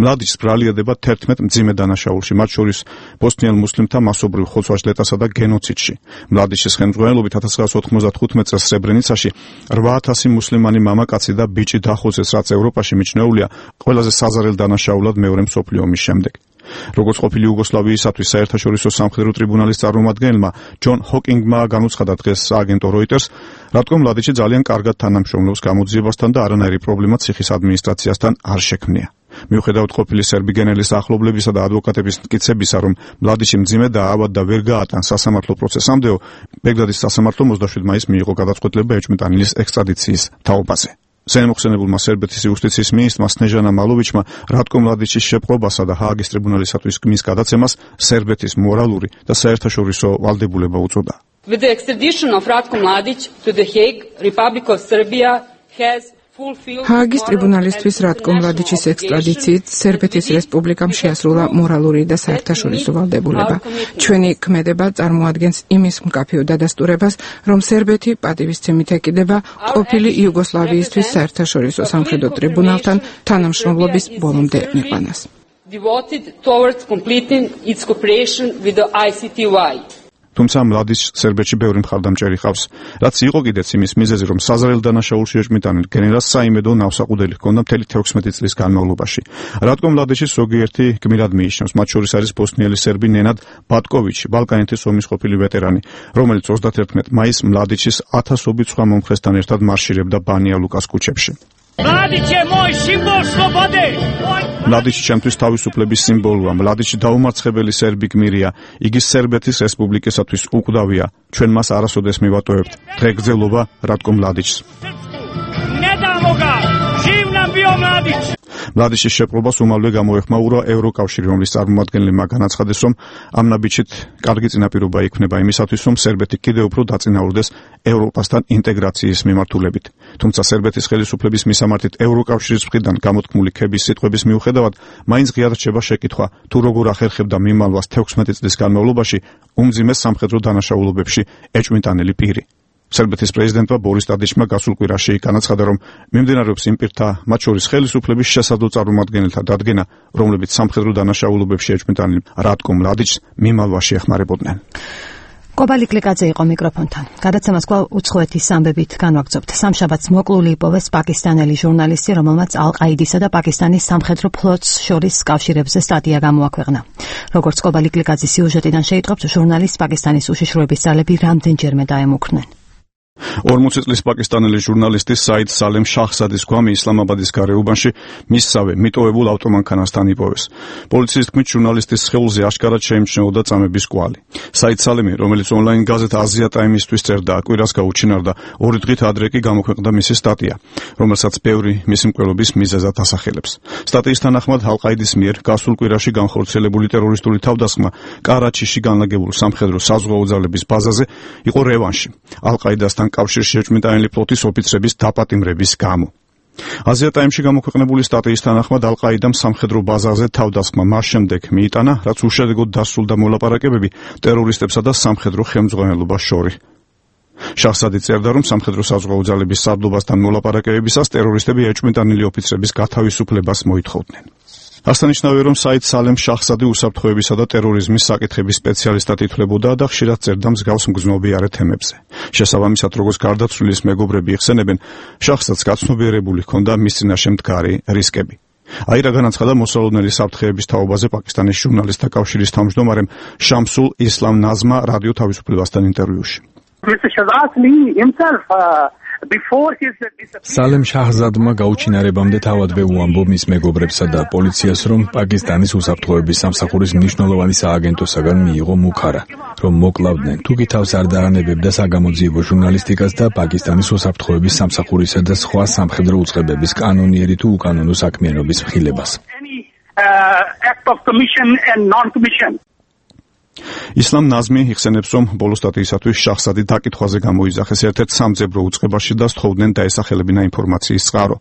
მლადიჩს ბრალია 11 მძიმე დანაშაულში, მათ შორის ბოსნიელ მუსლიმთა მასობრივ ხოცვა-ჟლეტასა და გენოციდში. მლადიჩის ხელმძღვანელობით 1995 წელს სრებრენიცაში 8000 მუსლიმანი მამაკაცი და ბიჭი დახოცეს, რაც ევროპაში მიჩნეულია ყველაზე საზარელ დანაშაულად მეორე მსოფლიო ომის შემდეგ. როგორც ყოფილი იუგოსლავიისათვის საერთაშორისო სამხედრო ტრიბუნალის წარმომადგენელმა ჯონ ჰოკინგმა განუცხადა დღეს სააგენტო როიტერს, რატკო მლადიჩი ძალიან კარგად თანამშრომლობს გამოძიებასთან და არანაირი პრობლემა ციხის ადმინისტრაციასთან არ შექმნია. მიუხედავად ყოფილი სერბი გენერლის ახლობლებისა და ადვოკატების მტკიცებისა, რომ მლადიჩი მძიმე და ავად და ვერ გაატან სასამართლო პროცესამდეო, ბელგრადის სასამართლომ 27 მაისს მიიღო გადაწყვეტილება ეჭვმიტანილის ექსტრადიციის თაობაზე. ზემოხსენებულმა სერბეთის იუსტიციის მინისტრმა სნეჟანა მალოვიჩმა რატკო მლადიჩის შეპყრობასა და ჰააგის ტრიბუნალისათვის მის გადაცემას სერბეთის მორალური და საერთაშორისო ვალდებულება უწოდა. With the extradition of Ratko Mladic to the Hague, Republic of Serbia has ჰააგის ტრიბუნალისთვის რატკო მლადიჩის ექსტრადიციით სერბეთის რესპუბლიკამ შეასრულა მორალური და საერთაშორისო ვალდებულება. ჩვენი ქმედება წარმოადგენს იმის მკაფიო დადასტურებას, რომ სერბეთი პატივისცემით ეკიდება ყოფილი იუგოსლავიისთვის საერთაშორისო სამხედრო ტრიბუნალთან თანამშრომლობის ბოლომდე მიყვანას. Devoted towards completing its cooperation with the ICTY. თუმცა მლადიჩს სერბეთში ბევრი მხარდამჭერი ჰყავს, რაც იყო კიდეც იმის მიზეზი, რომ საზარელ დანაშაულში ეჭვმიტანილ გენერალს საიმედო ნავსაყუდელი ჰქონდა მთელი 16 წლის განმავლობაში. რატკო მლადიჩის ზოგიერთი გმირად მიიჩნევს, მათ შორის არის ბოსნიელი სერბი ნენად ბატკოვიჩი, ბალკანეთის ომის ყოფილი ვეტერანი, რომელიც 31 მაისს მლადიჩის ათასობით სხვა მომხრესთან ერთად მარშირებდა ბანია ლუკას ქუჩებში. მლადიჩი ჩემთვის თავისუფლების სიმბოლოა. მლადიჩი დაუმარცხებელი სერბი გმირია. იგი სერბეთის რესპუბლიკისათვის უკვდავია. ჩვენ მას არასოდეს მივატოვებთ. დღეგრძელობა რატკო მლადიჩს. მლადიჩის შეპყრობას უმალვე გამოეხმაურა ევროკავშირი, რომლის წარმომადგენლებმა განაცხადეს, რომ ამ ნაბიჯით კარგი წინაპირობა იქნება იმისათვის, რომ სერბეთი კიდევ უფრო დაწინაურდეს ევროპასთან ინტეგრაციის მიმართულებით. თუმცა სერბეთის ხელისუფლების მისამართით ევროკავშირის მხრიდან გამოთქმული ქების სიტყვების მიუხედავად, მაინც ღიად რჩება შეკითხვა, თუ როგორ ახერხებდა მიმალვას 16 წლის განმავლობაში უმძიმეს სამხედრო დანაშაულობებში ეჭვმიტანილი პირი. სერბეთის პრეზიდენტმა ბორის ტადიჩმა გასულ კვირაში განაცხადა, რომ მიმდინარეობს იმ პირთა, მათ შორის ხელისუფლების შესაძლო წარმომადგენელთა დადგენა, რომლებიც სამხედრო დანაშაულობებში ეჭვმიტანილ რატკო მლადიჩს მიმალვაში ეხმარებოდნენ. კობალი კლიკაძე იყო მიკროფონთან. გადაცემას კვლავ უცხოეთის ამბებით განვაგრძობთ. სამშაბათს მოკლული იპოვეს პაკისტანელი ჟურნალისტი, რომელმაც ალ-ყაიდისა და პაკისტანის სამხედრო ფლოტს შორის კავშირებზე სტატია გამოაქვეყნა. როგორც კობალი კლიკაძის სიუჟეტიდან შეიტყობს, ჟურნალისტს პაკისტანის უშიშროების ძალები რამდენჯერმე დაემუქრნენ. 40 წლის პაკისტანელი ჟურნალისტი საიდ სალემ შაჰზადის გვამი ისლამაბადის გარეუბანში მისსავე მიტოვებულ ავტომანქანასთან იპოვეს. პოლიციის თქმით, ჟურნალისტის სხეულზე აშკარად შეიმჩნეოდა წამების კვალი. საიდ სალემი, რომელიც ონლაინ გაზეთ აზია ტაიმისთვის წერდა, კვირას გაუჩინარდა, 2 დღით ადრე კი გამოქვეყნდა მისი სტატია, რომელსაც ბევრი მისი მკვლელობის მიზეზად ასახელებს. სტატიის თანახმად ალ-ყაიდის მიერ გასულ კვირაში განხორციელებული ტერორისტული თავდასხმა კარაჩიში განლაგებულ სამხედრო საზღვაო ძალების ბაზაზე იყო რევანში ალ-ყაიდასთან კავშირში ეჭვმიტანილი ფლოტის ოფიცრების დაპატიმრების გამო. აზია ტაიმში გამოქვეყნებული სტატიის თანახმად ალ-ყაიდამ სამხედრო ბაზაზე თავდასხმა მას შემდეგ მიიტანა, რაც უშედეგოდ დასრულდა მოლაპარაკებები ტერორისტებსა და სამხედრო ხელმძღვანელობას შორის. შაჰზადი წერდა, რომ სამხედრო საზღვაო ძალების სარდლობასთან მოლაპარაკებებისას ტერორისტები ეჭვმიტანილი ოფიცრების გათავისუფლებას მოითხოვდნენ. ასანიშნავია, რომ საიდ სალემ შაჰზადი უსაფრთხოებისა და ტერორიზმის საკითხების სპეციალისტად ითვლებოდა და ხშირად წერდა მსგავს მგრძნობიარე თემებზე. შესაბამისად, როგორც გარდაცვლილის მეგობრები იხსენებენ, შაჰზადს გაცნობიერებული ჰქონდა მის წინაშე მდგარი რისკები. აირა განაცხადა მოსალოდნელი საფრთხეების თაობაზე პაკისტანის ჟურნალისტთა კავშირის თავმჯდომარემ შამსულ ისლამ ნაზმა რადიო თავისუფლებასთან ინტერვიუში. Mr. Shahzad himself სალემ შაჰზადმა გაუჩინარებამდე თავადვე უამბო მის მეგობრებსა და პოლიციას, რომ პაკისტანის უსაფრთხოების სამსახურის მნიშვნელოვანი სააგენტოსაგან მიიღო მუქარა, რომ მოკლავდნენ, თუკი თავს არ დაანებებდა საგამოძიებო ჟურნალისტიკას და პაკისტანის უსაფრთხოების სამსახურისა და სხვა სამხედრო უწყებების კანონიერი თუ უკანონო საქმიანობის მხილებას. ისლამ ნაზმი იხსენებს, რომ ბოლო სტატიისათვის შაჰზადი დაკითხვაზე გამოიძახეს ერთ-ერთ სამძებრო უწყებაში და სთხოვდნენ დაესახელებინა ინფორმაციის წყარო.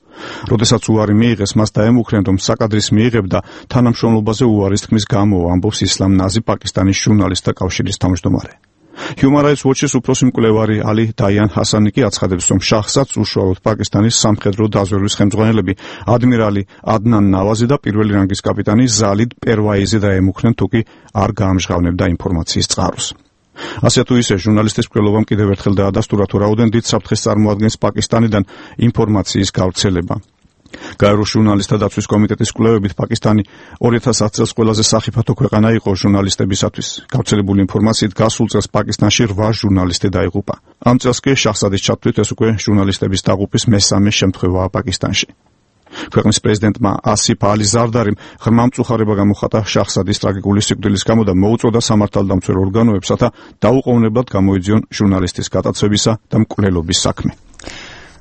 როდესაც უარი მიიღეს, მას დაემუქრენ, რომ საკადრის მიიღებდა თანამშრომლობაზე უარის თქმის გამო, ამბობს ისლამ ნაზი, პაკისტანის ჟურნალისტთა კავშირის თავმჯდომარე. Human Rights Watch-ის უფროსი მკვლევარი ალი დაიან ჰასანი კი აცხადებს, რომ შაჰზადს უშუალოდ პაკისტანის სამხედრო დაზვერვის ხელმძღვანელები ადმირალი ადნან ნავაზი და პირველი რანგის კაპიტანი ზალიდ პერვაიზი დაემუქრნენ, თუკი არ გაამჟღავნებდა ინფორმაციის წყაროს. ასე თუ ისე, ჟურნალისტის მკვლელობამ კიდევ ერთხელ დაადასტურა, თუ რაოდენ დიდ საფრთხეს წარმოადგენს პაკისტანიდან ინფორმაციის გავრცელება. გაეროს ჟურნალისტთა დაცვის კომიტეტის კვლევებით პაკისტანი 2010 წელს ყველაზე სახიფათო ქვეყანა იყო ჟურნალისტებისათვის. გავრცელებული ინფორმაციით გასულ წელს პაკისტანში 8 ჟურნალისტი დაიღუპა. ამ წელს კი შაჰზადის ჩათვლით ეს უკვე ჟურნალისტების დაღუპვის მესამე შემთხვევაა პაკისტანში. ქვეყნის პრეზიდენტმა ასიფ ალი ზარდარიმ ღრმა მწუხარება გამოხატა შაჰზადის ტრაგიკული სიკვდილის გამო და მოუწოდა სამართალდამცველ ორგანოებსა გამოუყოვნებლად გამოიძიონ ჟურნალისტის გატაცებისა და მკვლელობის საქმე.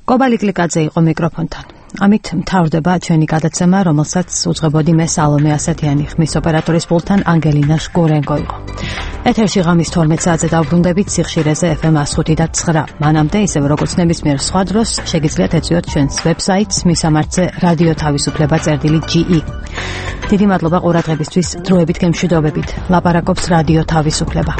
კობალი კლიკაძე იყო მიკროფონთან. ამით მთავრდება ჩვენი გადაცემა, რომელსაც უძღვებოდი მე სალომე ასათიანი, ხმის ოპერატორის პულტთან ანგელინა შგურენკო იყო. ეთერში ღამის 12 საათზე დავბრუნდებით სიხშირეზე FM 105.9. მანამდე, ისევ როგორც ნებისმიერ სხვა დროს, შეგიძლიათ ეწვიოთ ჩვენს ვებსაიტს მისამართზე რადიო თავისუფლება.ge. დიდი მადლობა ყურადღებისთვის, დროებით გემშვიდობებით. ლაპარაკობს რადიო თავისუფლება.